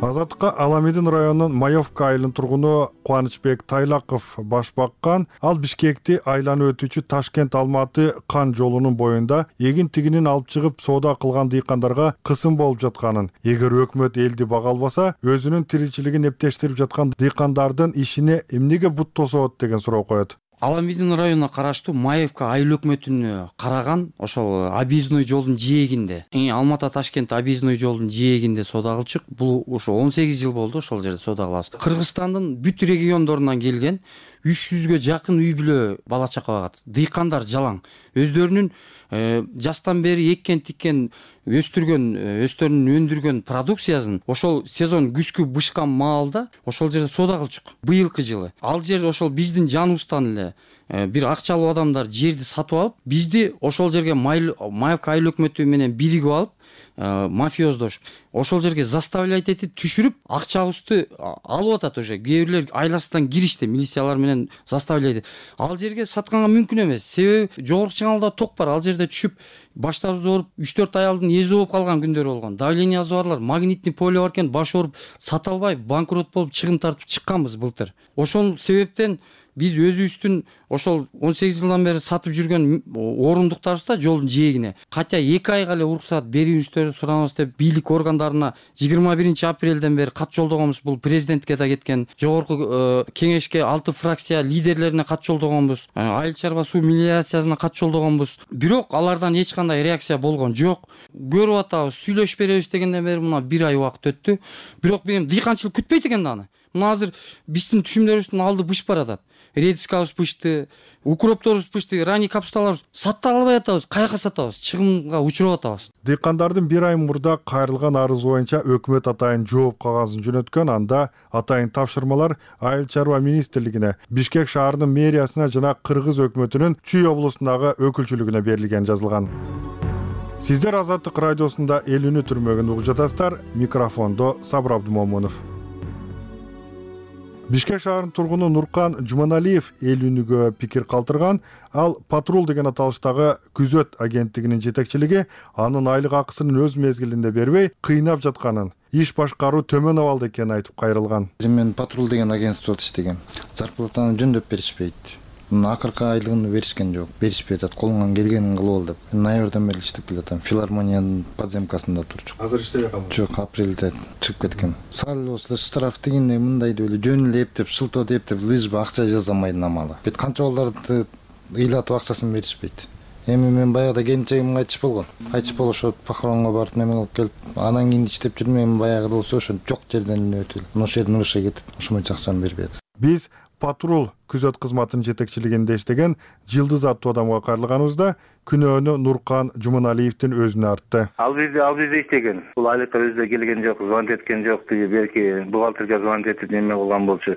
Азаттыкка Аламедин районунун Маевка айылынын тургуну Кубанычбек Тайлаков баш баккан. Ал Бишкекти айланып өтүүчү Ташкент Алматы Кан жолунун боюнда эгин тигинин алып чыгып соода кылган дыйкандарга кысым болуп жатканын, эгер өкмөт элди бага албаса, өзүнүн тиричилигин эптештирип жаткан дыйкандардын ишине эмнеге бут тосот деген суроо коет. Аламедин районуна караштуу Маевка айыл өкмөтүнө караган ошол объездной жолдун жээгинде, Алматы Ташкент объездной жолдун жээгинде соода кылчык. Бул ошо он сегиз жыл болду ошол жерде соода кылабыз. Кыргызстандын бүт региондорунан келген үч жүзгө жакын үй бүлө бала чака багат. Дыйкандар жалаң. Өздөрүнүн жастан бери эккен тиккен өстүргөн, өстөрүнүн өндүргөн продукциясын ошол сезон күзгү бышкан маалда ошол жерде соода кылчык. Быйылкы жылы ал жер ошол биздин жаныбыздан эле бир акчалуу адамдар жерди сатып алып, бизди ошол жерге Маевка айыл өкмөтү менен биригип алып, мафиоздош ошол жерге заставлять этип түшүрүп, акчабызды алып атат. Уже кээ бирлер айласынан киришти, милициялар менен заставлять. Ал жерге сатканга мүмкүн эмес. Себеби жогорку чыңалда ток бар. Ал жерде түшүп баштарыбыз ооруп, үч төрт аялдын эзи болуп калган күндөр болгон. Давлениеси барлар, магнитный поле бар экен, баш ооруп, сата албай банкрот болуп чыгым тартып чыкканбыз былтыр. Ошол себептен биз өзүбүздүн ошол он сегиз жылдан бери сатып жүргөн орундуктарыбызда жолдун жээгине хотя эки айга эле уруксат берүүңүздөрдү суранабыз деп бийлик органдарына жыйырма биринчи апрелден бери кат жолдогонбуз. Бул президентке да кеткен, жогорку кеңешке алты фракция лидерлерине кат жолдогонбуз, айыл чарба суу мелиорациясына кат жолдогонбуз. Бирок алардан эч кандай реакция болгон жок. Көрүп атабыз, сүйлөшүп беребиз дегенден бери мына бир ай убакыт өттү. Бирок мен дыйканчылык күтпөйт экен да аны. Мына азыр биздин түшүмдөрүбүздүн алды бышып баратат. Редискабыз пышты, укропторубуз пышты, ранний капусталарыбыз сата албай атабыз, каяка сатабыз, чыгымга учуруп атабыз. Дыйкандардын бир ай мурда кайрылган арызы боюнча өкмөт атайын жооп кагазын жөнөткөн. Анда атайын тапшырмалар Айыл чарба министрлигине, Бишкек шаарынын мэриясына жана Кыргыз өкмөтүнүн Чүй облусундагы өкүлчүлүгүнө берилген жазылган. Сиздер Азаттык радиосунда эл үнү түрмөгүн угуп жатасыздар. Микрофондо Сабыр Абдумомунов. Бишкек шаарынын тургуну Нуркан Жуманалиев эл үнүгө пикир калтырган. Ал Патрул деген аталыштагы күзөт агенттигинин жетекчилиги анын айлык акысын өз мезгилинде бербей, кыйнап жатканын, иш башкаруу төмөн абалда экенин айтып кайрылган. Мен Патрул деген агентстводо иштегем. Зарплатаны жөндөп беришпейт. Мына акыркы айлыгын беришкен жок, беришпей атат, колуңан келгенин кылып ал деп. Ноябрдан бери иштеп келатам. Филармониянын подземкасында турчу. Азыр иштебей калдым. Жок, апрелде чыгып кеткем. Сал осу штраф дегенде мындай деп эле жөн эле эптеп, шылтоо эптеп, лыжба акча жазамайды намалы. Бет канча балдарды ыйлатып акчасын беришпейт. Эми мен баягыда келинчегим кайтыш болгон. Кайтыш болушуп похоронго барып неме кылып келип, анан кийин иштеп жүрмүн. Эми баягыда болсо ошо жок жерден эле өтүп, ошол жерден ушуга кетип, ошондой акчаны бербейт. Биз патруль күзөт кызматынын жетекчилигинде иштеген Жылдыз аттуу адамга кайрылганыбызда күнөөнү Нуркан Жуманалиевдин өзүнө артты. Ал бизде ал бизде иштеген. Бул айлыкка өзү келген жок, звонок эткен жок деди, белки бухгалтерге звонок этип неме кылган болчу.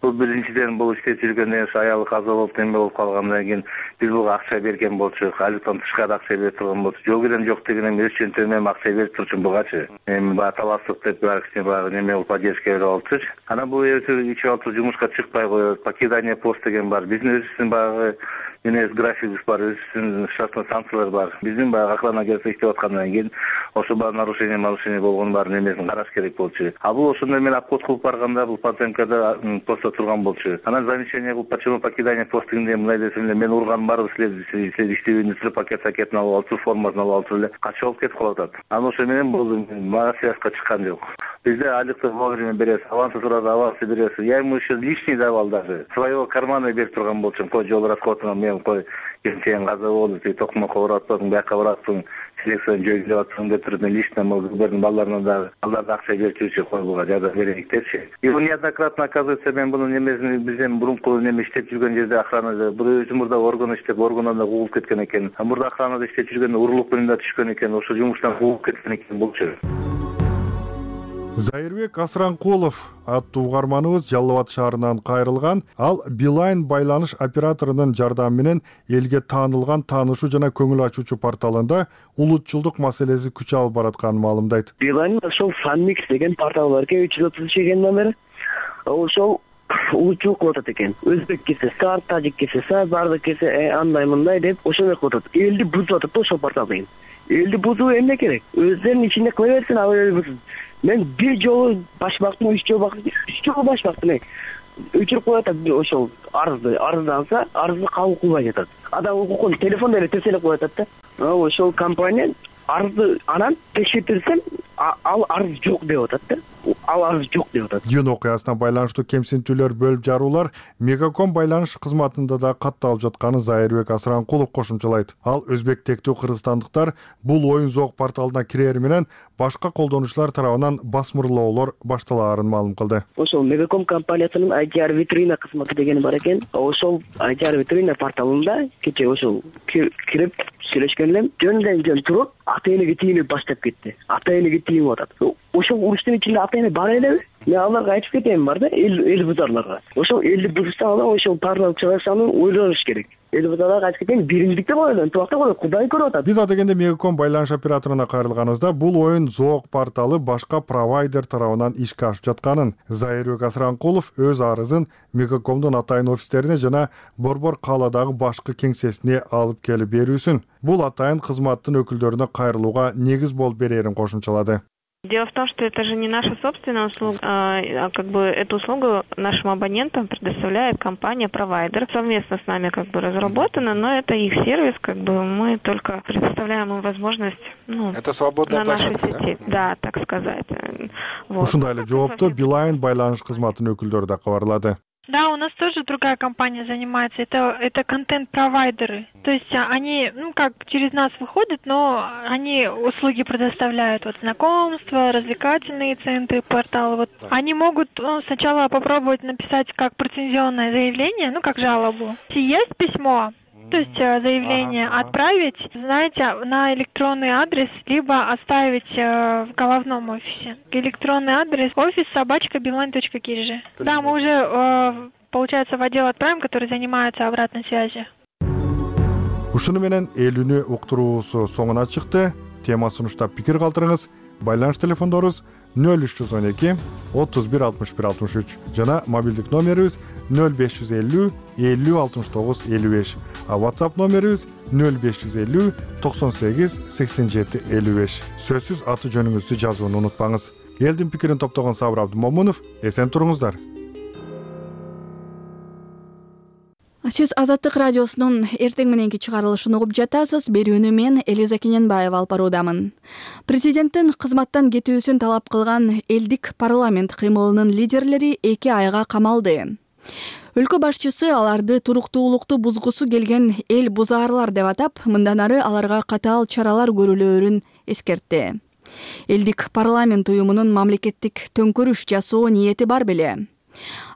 Бул биринчиден бул иштеп жүргөндөн кийин аялы каза болуп неме болуп калгандан кийин биз буга акча берген болчу. Айлыктан тышкары акча берип турган болчу. Жол берен жок деген эми өз чөнтөгүнөн акча берип турчу бугачы. Эми баягы талаштык деп бар киши баягы неме болуп поддержка берип алчу. Анан бул ичип алып жумушка чыкпай коет. Покидание пост деген бар. Биздин өзүбүздүн баягы Менес графигибиз бар, өзүбүздүн штатный станциялар бар. Биздин баягы охрана келсе иштеп аткандан кийин ошо баягы нарушение, нарушение болгон баарын эмесин караш керек болчу. А бул ошондо мен обход кылып барганда бул подземкада постто турган болчу. Анан замечание кылып, почему покидание пост дегенде мындай десем эле, мен урган барбы силер, силер иштебейсиңер, пакет пакетин алып алыпсыз, формасын алып алыпсыз эле, качып алып кетип калып атат. Анан ошо менен бул мага связка чыккан жок. Бизде айлыкты вовремя бересиз, авансы сурады, авансы бересиз. Я ему еще лишний давал даже. Своего кармана берип турган болчумун, кой жол расходуна мен кой келинчегиң каза болду, тиги токмокко баратпадың, бияка баратсың, селекцияны жөйгүлөп атсың деп туруп мен лично мына балдарына дагы алар да акча берип жүрчү, кой буга жардам берейик депчи. И он неоднократно оказывается мен бунун немесин бизден мурунку неме иштеп жүргөн жерде охранада бир өзү мурда орган иштеп, органдан да куугулуп кеткен экен. А мурда охранада иштеп жүргөндө урурлук менен да түшкөн экен, ошо жумуштан куугулуп кеткен экен болчу. Зайырбек Асранкулов аттуу угарманыбыз Жалал Абад шаарынан кайрылган. Ал Билайн байланыш операторунун жардамы менен элге таанылган таанышуу жана көңүл ачуучу порталында улутчулдук маселеси күч алып баратканын маалымдайт. Билайн ошол Фанмикс деген портал бар экен, үч жүз отуз үч экен номери. Ошол улутчулук кылып атат экен. Өзбек кесе сар, тажик кесе сар, бардык кесе андай мындай деп ошондой кылып атат. Элди бузуп атат ошол портал деген. Элди бузуу эмне керек? Өздөрүнүн ичинде кыла берсин, ал элди мен бир жолу баш бактым, үч жолу бактым, үч жолу баш бактым. Өчүрүп коюп атат ошол арызды, арызданса, арызды кабыл кылбай жатат. Адам укукун телефондо эле тескелеп коюп атат да. Ошол компания арызды анан текшертирсем, ал арыз жок деп атат да. Ал арыз жок деп атат. Жөн окуясына байланыштуу кемсинтүүлөр бөлүп жаруулар Мегаком байланыш кызматында да катталып жатканын Зайырбек Асранкулов кошумчалайт. Ал өзбек тектүү кыргызстандыктар бул оюн зоок порталына кирери менен башка колдонуучулар тарабынан басмырлоолор башталаарын маалым кылды. Ошол Мегаком компаниясынын ай ти ар витрина кызматы деген бар экен. Ошол ай ти ар витрина порталында кече ошол кирип сүйлөшкөн элем. Жөндөн жөн туруп, ата энеге тийинип баштап кетти. Ата энеге тийинип атат. Ошол уруштун ичинде ата эне бар элеби? Мен аларга айтып кетем бар да, эл эл бузарларга. Ошол элди бузса алар ошол портал чыгарсанын ойлоныш керек. Эл бузарларга айтып кетем, бириндикте коелу, антыбакта коелу, Кудай көрүп атат. Биз адегенде Мегаком байланыш операторуна кайрылганыбызда бул оюн зоок порталы башка провайдер тарабынан ишке ашып жатканын, Зайырбек Асранкулов өз арызын Мегакомдун атайын офистерине жана Борбор кааладагы башкы кеңсесине алып келип берүүсүн. Бул атайын кызматтын өкүлдөрүнө кайрылууга негиз болуп берерин кошумчалады. Дело в том, что это же не наша собственная услуга, а как бы эту услугу нашим абонентам предоставляет компания-провайдер. Совместно с нами как бы разработана, но это их сервис, как бы мы только предоставляем им возможность, ну, это свободная на нашей площадка, сети, да? Да, так сказать. Вот. Ушундай эле жоопту Билайн байланыш кызматынын өкүлдөрү да кабарлады. Да, у нас тоже другая компания занимается. Это, это контент-провайдеры. То есть они, ну, как через нас выходят, но они услуги предоставляют. Вот знакомства, развлекательные центры, порталы. Вот. Они могут ну, сначала попробовать написать как претензионное заявление, ну, как жалобу. Если есть письмо, то есть заявление ага, ага. отправить, знаете, на электронный адрес, либо оставить э, в головном офисе. Электронный адрес офис собачка билайн точка киржи. Да, мы уже, э, получается, в отдел отправим, который занимается обратной связью. Ушуну менен эл үнү уктуруусу соңуна чыкты. Тема сунуштап пикир калтырыңыз. Байланыш телефондорубуз нөл үч жүз он эки отуз бир алтымыш бир алтымыш үч жана мобилдик номерибиз нөл беш жүз элүү элүү алтымыш тогуз элүү беш. А WhatsApp номерибиз нөл беш жүз элүү токсон сегиз сексен жети элүү беш. Сөзсүз аты жөнүңүздү жазууну унутпаңыз. Элдин пикирин топтогон Сабыр Абдымомунов, эсен туруңуздар. Сиз Азаттык радиосунун эртең мененки чыгарылышын угуп жатасыз. Берүүнү мен Элиза Кененбаева алып баруудамын. Президенттин кызматтан кетүүсүн талап кылган элдик парламент кыймылынын лидерлери эки айга камалды. Өлкө башчысы аларды туруктуулукту бузгусу келген эл бузаарлар деп атап, мындан ары аларга катаал чаралар көрүлөөрүн эскертти. Элдик парламент уюмунун мамлекеттик төңкөрүш жасоо ниети бар беле.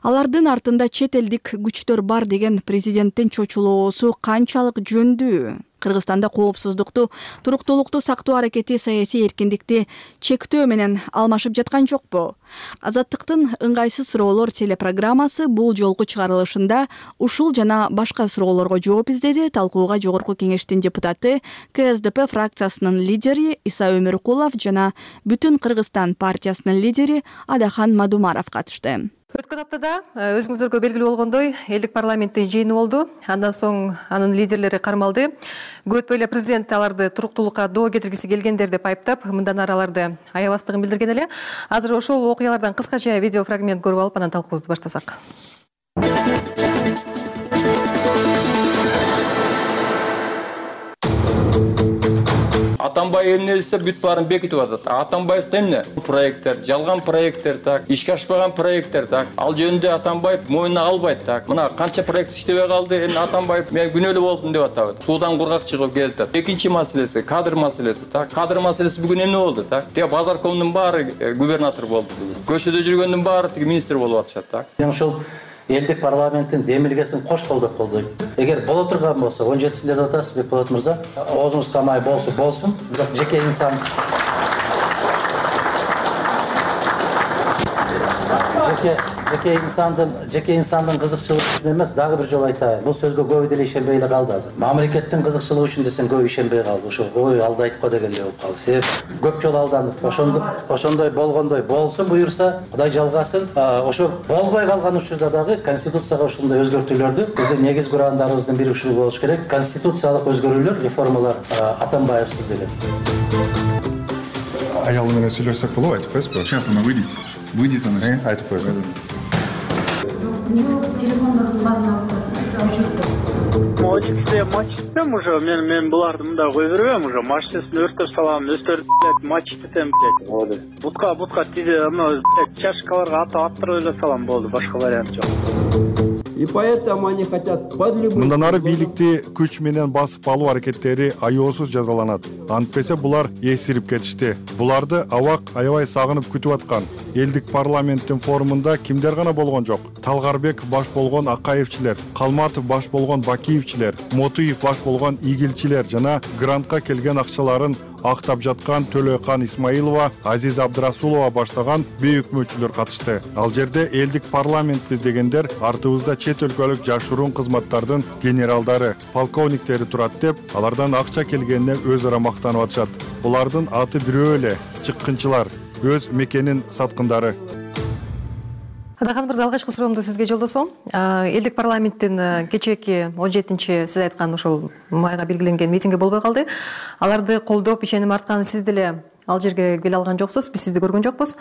Алардын артында чет элдик күчтөр бар деген президенттин чочулоосу канчалык жөндүү? Кыргызстанда коопсуздукту, туруктуулукту сактоо аракети саясий эркиндикти чектөө менен алмашып жаткан жокпу? Азаттыктын ыңгайсыз суроолор телепрограммасы бул жолку чыгарылышында ушул жана башка суроолорго жооп издеди. Талкууга Жогорку Кеңештин депутаты, Ка Эс Ди Пи фракциясынын лидери Иса Өмүркулов жана Бүтүн Кыргызстан партиясынын лидери Адахан Мадумаров катышты. Өткөн аптада өзүңүздөргө белгилүү болгондой, элдик парламенттин жыйыны болду. Андан соң анын лидерлери кармалды. Көп эле президент аларды туруктуулукка доо кетиргиси келгендер деп айыптап, мындан ары аларды аябастыгын билдирген эле. Азыр ошол окуялардан кыскача видео фрагмент көрүп алып, анан талкуубузду баштасак. Атамбаев эмне десе бүт баарын бекитип атат. Атамбаев эмне? Проекттер, жалган проекттер так, ишке ашпаган проекттер так. Ал жөнүндө Атамбаев мойнуна албайт так. Мына канча проект иштебей калды, эми Атамбаев мен күнөөлүү болдум деп атабыт. Суудан кургак чыгып келди. Экинчи маселеси кадр маселеси так. Кадр маселеси бүгүн эмне болду так? Тиги Базаркомдун баары губернатор болду. Көчөдө жүргөндүн баары тиги министр болуп атышат так. Мен ошол элдик парламенттин демилгесин кош колдоп колдойм. Эгер боло турган болсо, он жетисинде деп атасыз, Бекболот мырза, оозуңуз камай болсо болсун, бирок жеке инсан жеке жеке инсандын жеке инсандын кызыкчылыгы үчүн эмес, дагы бир жолу айтайын. Бул сөзгө көп деле ишенбей эле калды азыр. Мамлекеттин кызыкчылыгы үчүн десең көп ишенбей калды. Ошо ой алдайт го дегендей болуп калды. Себеп көп жолу алдандык. Ошондой ошондой болгондой болсун буюрса, Кудай жалгасын. Ошо болбой калган учурда дагы конституцияга ушундай өзгөртүүлөрдү биздин негизги урандарыбыздын бири ушул болуш керек. Конституциялык өзгөрүүлөр, реформалар Атамбаевсиз деген. Аялы менен сүйлөшсөк болобу, айтып коесузбу? Сейчас она выйдет. Выйдет она. Айтып коесуз. Телефондордун баарын Очередьте матч етем уже, мен мен буларды мында кой бербейм уже, машинесин өртөп салам, өздөрү матч етем, блядь. Бутка бутка тиде, ана чашкаларга ата аттырып эле салам болду, башка вариант жок. И поэтому они хотят под любым... Мындан ары бийликти күч менен басып алуу аракеттери аеосуз жазаланат. Антпесе булар эсирип кетишти. Буларды абак аябай сагынып күтүп аткан. Элдик парламенттин форумунда кимдер гана болгон жок. Талгарбек баш болгон Акаевчилер, Калматов баш болгон Бакиевчилер, Мотуев баш болгон Игилчилер жана грантка келген акчаларын актап жаткан Төлөкан Исмаилова, Азиз Абдрасулова баштаган бейөкмөчүлөр катышты. Ал жерде элдик парламентпиз дегендер артыбызда чет өлкөлүк жашыруун кызматтардын генералдары, полковниктери турат деп, алардан акча келгенине өз ара мактанып атышат. Булардын аты бирөө эле, чыккынчылар, өз мекенин саткындары. Адахан мырза, алгачкы суроомду сизге жолдосом. Элдик парламенттин кечээки он жетинчи сиз айткан ошол майга белгиленген митинги болбой калды. Аларды колдоп, ишеним арткан сиз деле ал жерге келе алган жоксуз, биз сизди көргөн жокпуз.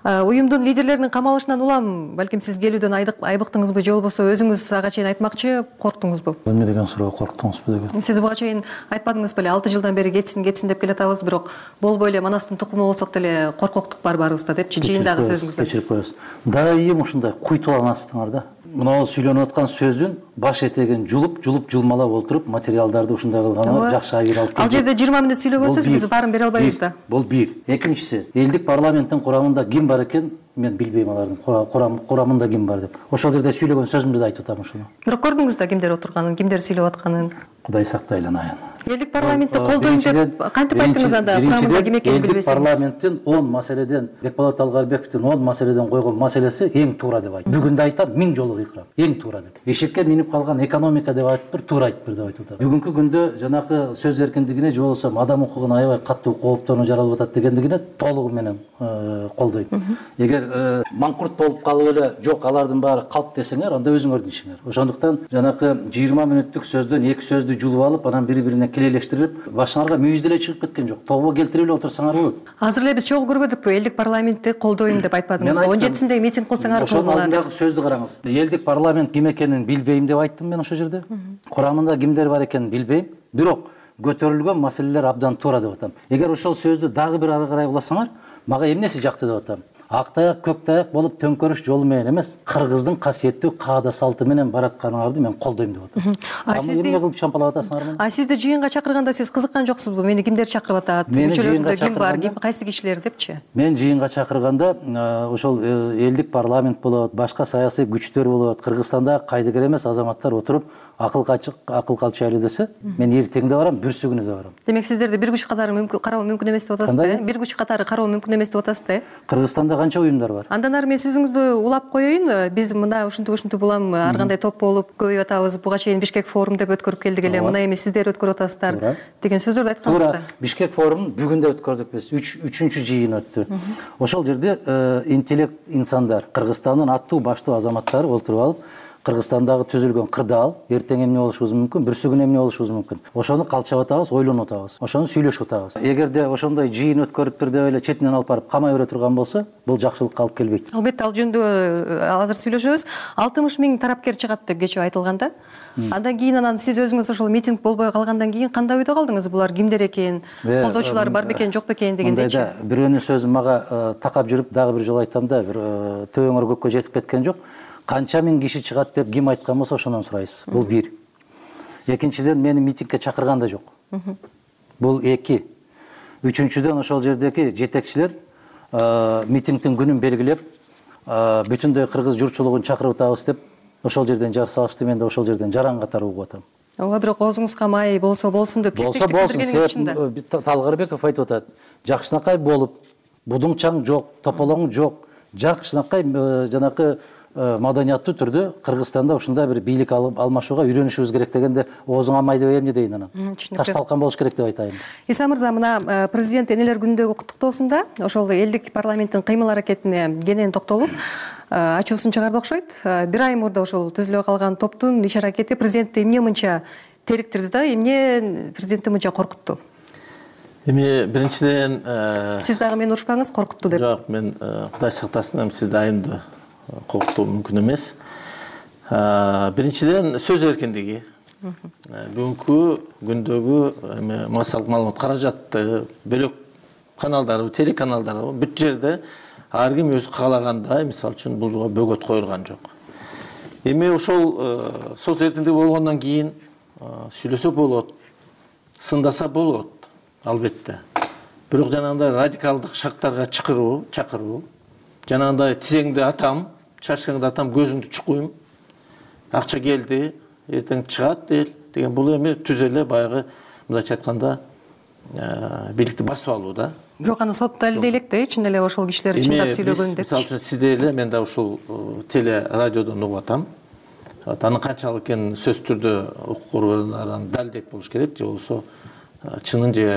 Уюмдун лидерлеринин камалышынан улам, балким сиз келүүдөн айбыктыңызбы, же болбосо өзүңүз ага чейин айтмакчы корктуңузбу? Эмне деген суроо, корктуңузбу деген? Сиз буга чейин айтпадыңыз беле, алты жылдан бери кетсин, кетсин деп келатабыз, бирок болбой эле манастын тукуму болсок деле коркоктук бар баарыбызда депчи жыйындагы сөзүңүздө. Кечирип коесуз. Дайым ушундай куйтуланасыздар да. Мына сүйлөнүп аткан сөздүн баш этегин жулуп, жулуп жылмалап отуруп, материалдарды ушундай кылганы жакшы айыр алып келди. Ал жерде жыйырма мүнөт сүйлөгөнсүз, биз баарын бере албайбыз да. Бул бир. Экинчиси, элдик парламенттин курамында ким бар экен? Мен билбейм алардын курамында ким бар деп. Ошол жерде сүйлөгөн сөзүмдү да айтып атам ушуну. Бирок көрдүңүз да кимдер отурганын, кимдер сүйлөп атканын? Кудай сактайланайын. Элдик парламентти колдойм деп кантип айттыңыз анда? Курамында ким экенин билбесеңиз. Элдик парламенттин он маселеден, Бекболот Талгарбековдун он маселеден койгон маселеси эң туура деп айтты. Бүгүн да айтам, миң жолу кыйкырам. Эң туура деп. Эшекке минип калган экономика деп айтып бир, туура айтып бир деп айтып атам. Бүгүнкү күндө жанакы сөз эркиндигине же болбосо адам укугуна аябай каттуу кооптонуу жаралып атат дегендигине толугу менен колдойм. Эгер манкурт болуп калып эле жок алардын баары калп десеңер, анда өзүңөрдүн ишиңер. Ошондуктан жанакы жыйырма мүнөттүк сөздөн эки сөздү жулуп алып, анан бири-бирине килелештирип башыңарга мүйүз деле чыгып кеткен жок. Тобо келтирип эле отурсаңар болот. Азыр эле биз чогуу көрбөдүкпү, элдик парламентти колдойм деп айтпадыңызбы? он жетисинде митинг кылсаңар ошонун болот. алдындагы сөздү караңыз. Элдик парламент ким экенин билбейм деп айттым мен ошол жерде. Курамында кимдер бар экенин билбейм. Бирок көтөрүлгөн маселелер абдан туура деп атам. Эгер ошол сөздү дагы бир ары карай уласаңар, мага эмнеси жакты деп атам. Ак таяк, көк таяк болуп төңкөрүш жолу менен эмес, кыргыздын касиеттүү каада салты менен баратканыңарды мен колдойм деп атам. А сизди эмне кылып чампалап атасыңар мени? А сизди жыйынга чакырганда сиз кызыккан жоксузбу? Мени кимдер чакырып атат? Мүчөлөрүндө ким бар, ким кайсы кишилер депчи? Мен жыйынга чакырганда ошол элдик парламент болот, башка саясий күчтөр болот, Кыргызстанда кайдыгер эмес азаматтар отуруп акыл акыл калчайлы десе, мен эртең да барам, бүрсү күнү да барам. Демек сиздерди бир күч катары кароо мүмкүн эмес деп атасыз да? Бир күч катары кароо мүмкүн эмес деп атасыз да? Кыргызстанда канча уюмдар бар? Андан ары мен сөзүңүздү улап коеюн. Биз мына ушинтип ушинтип улам ар кандай топ болуп көбөйүп атабыз. Буга чейин Бишкек форум деп өткөрүп келдик эле. Мына эми сиздер өткөрүп атасыздар деген сөздөрдү айткансыздар. Туура. Бишкек форумун бүгүн да өткөрдүк биз. үчүнчү жыйын өттү. Ошол жерде интеллект инсандар, Кыргызстандын аттуу баштуу азаматтары отуруп алып, Кыргызстандагы түзүлгөн кырдаал эртең эмне болушубуз мүмкүн, бүрсү күнү эмне болушубуз мүмкүн. Ошону калчап атабыз, ойлонуп атабыз. Ошону сүйлөшүп атабыз. Эгерде ошондой жыйын өткөрүптүр деп эле четинен алып барып камай бере турган болсо, бул жакшылыкка алып келбейт. Албетте, ал жөнүндө азыр сүйлөшөбүз. алтымыш миң тарапкер чыгат деп кечээ айтылган да. Андан кийин анан сиз өзүңүз ошол митинг болбой калгандан кийин кандай ойдо калдыңыз? Булар кимдер экен? Колдоочулар бар бекен, жок бекен дегендейчи. Бирөөнүн сөзү мага такап жүрүп дагы бир жолу айтам да, бир төбөңөр көккө жетип кеткен жок. Канча миң киши чыгат деп ким айткан болсо ошондон сурайсыз. Бул бир. Экинчиден, мени митингге чакырган да жок. Бул эки. Үчүнчүдөн, ошол жердеги жетекчилер митингдин күнүн белгилеп, бүтүндөй кыргыз журтчулугун чакырып атабыз деп ошол жерден жар салышты. Мен да ошол жерден жаран катары угуп атам. Ооба, бирок оозуңузга май болсо болсун деп болсо болсун. Талгарбеков айтып атат. Жакшынакай болуп, будуңчаң жок, тополоң жок. Жакшынакай жанакы маданияттуу түрдө Кыргызстанда ушундай бир бийлик алмашууга үйрөнүшүбүз керек дегенде, оозуңа май деп эмне дейин анан? Ташталкан болуш керек деп айтайын. Иса мырза, мына президент энелер күнүндөгү куттуктоосунда ошол элдик парламенттин кыймыл аракетине кенен токтолуп ачуусун чыгарды окшойт. Бир ай мурда ошол түзүлө калган топтун иш аракети президентти эмне мынча териктирди да, эмне президентти мынча коркутту? Эми биринчиден сиз дагы мени урушпаңыз, коркутту деп. Жок, мен Кудай сактасын, эми сиз дайымды коркутуу мүмкүн эмес. Биринчиден сөз эркиндиги. Бүгүнкү күндөгү эми массалык маалымат каражатты, бөлөк каналдары, телеканалдары бүт жерде ар ким өзү каалагандай, мисалы үчүн булга бөгөт коюлган жок. Эми ошол сөз эркиндиги болгондон кийин сүйлөсө болот, сындаса болот, албетте. Бирок жанагындай радикалдык шактарга чакыруу, чакыруу, жанагындай тизеңди атам, чачкаңды атам, көзүңдү чукуйм, акча келди, эртең чыгат деген, бул эми түз эле баягы мындайча айтканда бийликти басып алуу да. Бирок аны сот далилдей элек да, чын эле ошол кишилер чындап сүйлөгөн деп. Мисалы үчүн сизде эле мен да ушул теле радиодон угуп атам. Анын канчалык экенин сөзсүз түрдө укук коргоочулардан далилдейт болуш керек, же болбосо чынын же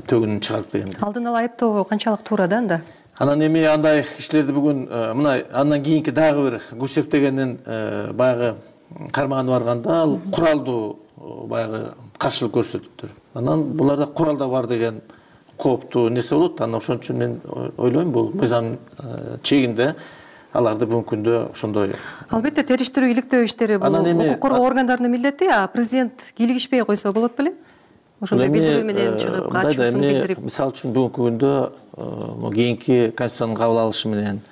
төгүнүн чыгарып деген. Алдын ала айыптоо канчалык туура да анда? Анан эми андай кишилерди бүгүн мына андан кийинки дагы бир Гусев дегендин баягы кармаганы барганда ал куралдуу баягы каршылык көрсөтүптүр. Анан буларда курал да бар деген кооптуу нерсе болот. Анан ошон үчүн мен ойлойм, бул мыйзам чегинде аларды бүгүнкү күндө ошондой. Албетте, териштирүү, иликтөө иштери бул укук коргоо органдарынын милдети, а президент кийлигишпей койсо болот беле? Ошондой билдирүү менен чыгып, ачуусун билдирип. Мисалы үчүн бүгүнкү күндө кийинки конституциянын кабыл алышы менен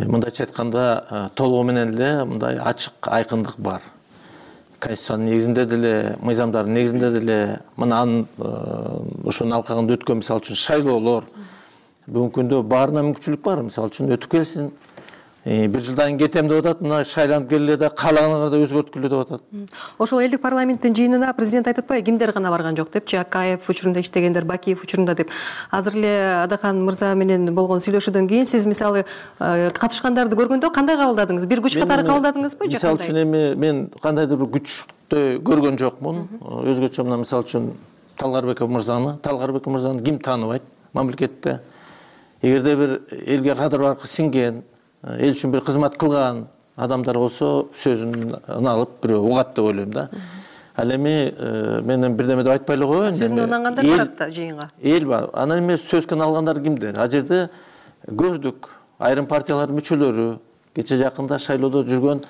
мындайча айтканда толугу менен эле мындай ачык айкындык бар. Конституциянын негизинде деле, мыйзамдардын негизинде деле мына анын ошонун алкагында өткөн мисалы үчүн шайлоолор бүгүнкү күндө баарына мүмкүнчүлүк бар. Мисалы үчүн өтүп келсин. Бир жылдан кийин кетем деп атат, мына шайланып келе да каалаганыңарды өзгөрткүлө деп атат. Ошол элдик парламенттин жыйынына президент айтып атпайбы, кимдер гана барган жок депчи, Акаев учурунда иштегендер, Бакиев учурунда деп. Азыр эле Адахан мырза менен болгон сүйлөшүүдөн кийин сиз мисалы катышкандарды көргөндө кандай кабылдадыңыз? Бир күч катары кабылдадыңызбы же кандай? Мисалы үчүн эми мен кандайдыр бир күчтөй көргөн жокмун. Өзгөчө мына мисалы үчүн Талгарбеков мырзаны, Талгарбеков мырзаны ким тааныбайт мамлекетте? Эгерде бир элге кадыр баркы сиңген, эл үчүн бир кызмат кылган адамдар болсо сөзүн алып бирөө угат деп ойлойм да. Ал эми мен бирдеме деп айтпай эле коеюн. Сөзүнө ынангандар барат да жыйынга. Эл бар. Анан эми сөзгөн алгандар кимдер? А жерде көрдүк. Айрым партиялардын мүчөлөрү, кече жакында шайлоодо жүргөн,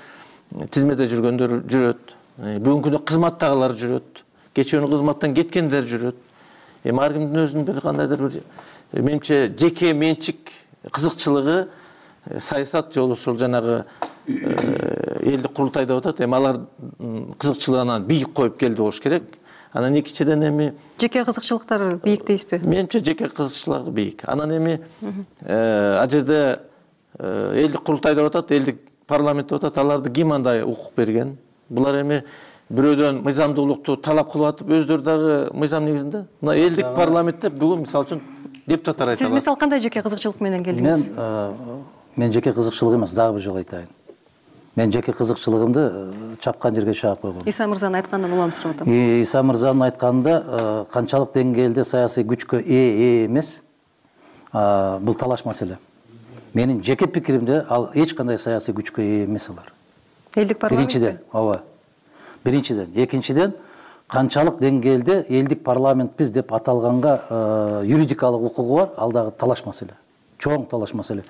тизмеде жүргөндөр жүрөт. Бүгүнкү күндө кызматтагылар жүрөт. Кече күнү кызматтан кеткендер жүрөт. Эми ар кимдин өзүнүн бир кандайдыр бир менимче жеке менчик кызыкчылыгы, саясат жолу ушул жанагы элдик курултай деп атат. Эми алар кызыкчылыгынан бийик коюп келди болуш керек. Анан экинчиден эми жеке кызыкчылыктар бийик дейсизби? Менимче жеке кызыкчылык бийик. Анан эми а жерде элдик курултай деп атат, элдик парламент деп атат. Аларды ким андай укук берген? Булар эми бирөөдөн мыйзамдуулукту талап кылып атып, өздөрү дагы мыйзам негизинде. Мына элдик парламентте бүгүн мисалы үчүн депутаттар айтат. Сиз мисалы кандай жеке кызыкчылык менен келдиңиз? Мен мен жеке кызыкчылык эмес, дагы бир жолу айтайын. Мен жеке кызыкчылыгымды чапкан жерге чаап койгом. Иса мырзанын айтканынан улам сурап атам. Иса мырзанын айтканында канчалык деңгээлде саясий күчкө ээ эмес, бул талаш маселе. Менин жеке пикиримде ал эч кандай саясий күчкө ээ эмес алар. Элдик парламент. Биринчиден, ооба. Биринчиден, экинчиден канчалык деңгээлде элдик парламентпиз деп аталганга юридикалык укугу бар, ал дагы талаш маселе. Чоң талаш маселе.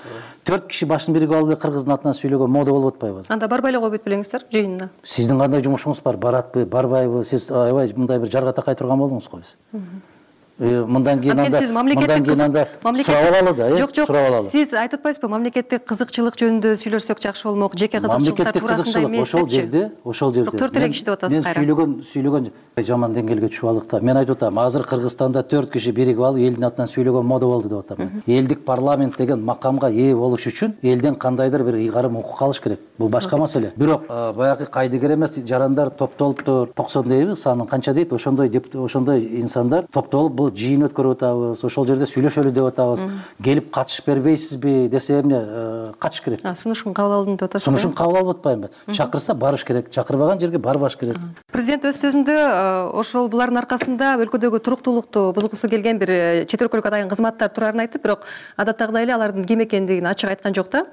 Төрт киши башын биригип алып кыргыздын атынан сүйлөгөн мода болуп атпайбы? Анда барбай эле коюп белеңиздер жыйынына. Сиздин кандай жумушуңуз бар? Баратпы, барбайбы? Сиз аябай мындай бир жарга такай турган болдуңуз го биз. Мындан кийин анда мындан кийин анда сурап алалы да, э? Сурап алалы. Сиз айтып атпайсызбы, мамлекеттик кызыкчылык жөнүндө сүйлөшсөк жакшы болмок, жеке кызыкчылыктар туурасында эмес депчи. Ошол жерде, ошол жерде. Төрт эле киши деп атасыз кайра. Мен сүйлөгөн, сүйлөгөн жаман деңгээлге түшүп алдык да. Мен айтып атам, азыр Кыргызстанда төрт киши биригип алып элдин атынан сүйлөгөн мода болду деп атам. Элдик парламент деген макамга ээ болуш үчүн элден кандайдыр бир ыйгарым укук алыш керек. Бул башка маселе. Бирок баягы кайдыгер эмес жарандар топтолуптур, токсон дейби, санын канча дейт, ошондой ошондой инсандар топтолуп бул жыйын өткөрүп атабыз, ошол жерде сүйлөшөлү деп атабыз. Келип катышып бербейсизби десе эмне катыш керек. Сунушун кабыл алдым деп атасыз. Сунушун кабыл алып атпайбы? Чакырса барыш керек, чакырбаган жерге барбаш керек. Президент өз сөзүндө ошол булардын аркасында өлкөдөгү туруктуулукту бузгусу келген бир чет өлкөлүк атайын кызматтар турарын айтып, бирок адаттагыдай эле алардын ким экендигин ачык айткан жок да.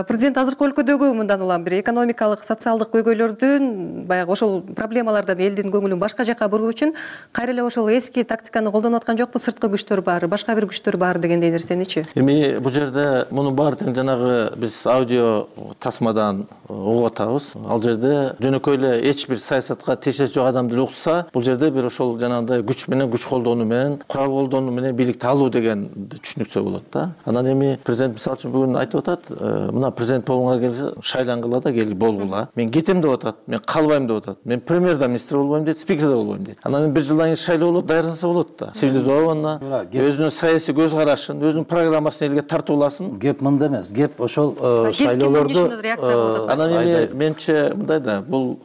Президент азыркы өлкөдөгү мындан улам бир экономикалык, социалдык көйгөйлөрдүн, баягы ошол проблемалардан элдин көңүлүн башка жака буруу үчүн кайра эле ошол эски тактиканы колдонуп аткан жокпу? Сырткы күчтөр бар, башка бир күчтөр бар дегендей нерсеничи? Эми бул жерде мунун баардыгын жанагы биз аудио тасмадан угуп атабыз. Ал жерде жөнөкөй эле эч бир саясатка тиешеси жок адам деле укса, бул жерде бир ошол жанагындай күч менен, күч колдонуу менен, курал колдонуу менен бийликти алуу деген түшүнүксө болот да. Анан эми президент мисалы үчүн бүгүн айтып атат, мына президент болгонго келсе шайлангыла да кел болгула. Мен кетем деп атат, мен калбайм деп атат. Мен премьер да министр болбойм дейт, спикер да болбойм дейт. Анан бир жылдан кийин шайлоо болот, даярданса болот да. Цивилизованно, өзүнүн саясий көз карашын, өзүнүн программасын элге тартууласын. Геп мында эмес, геп ошол шайлоолорду. Анан эми менимче мындай да, бул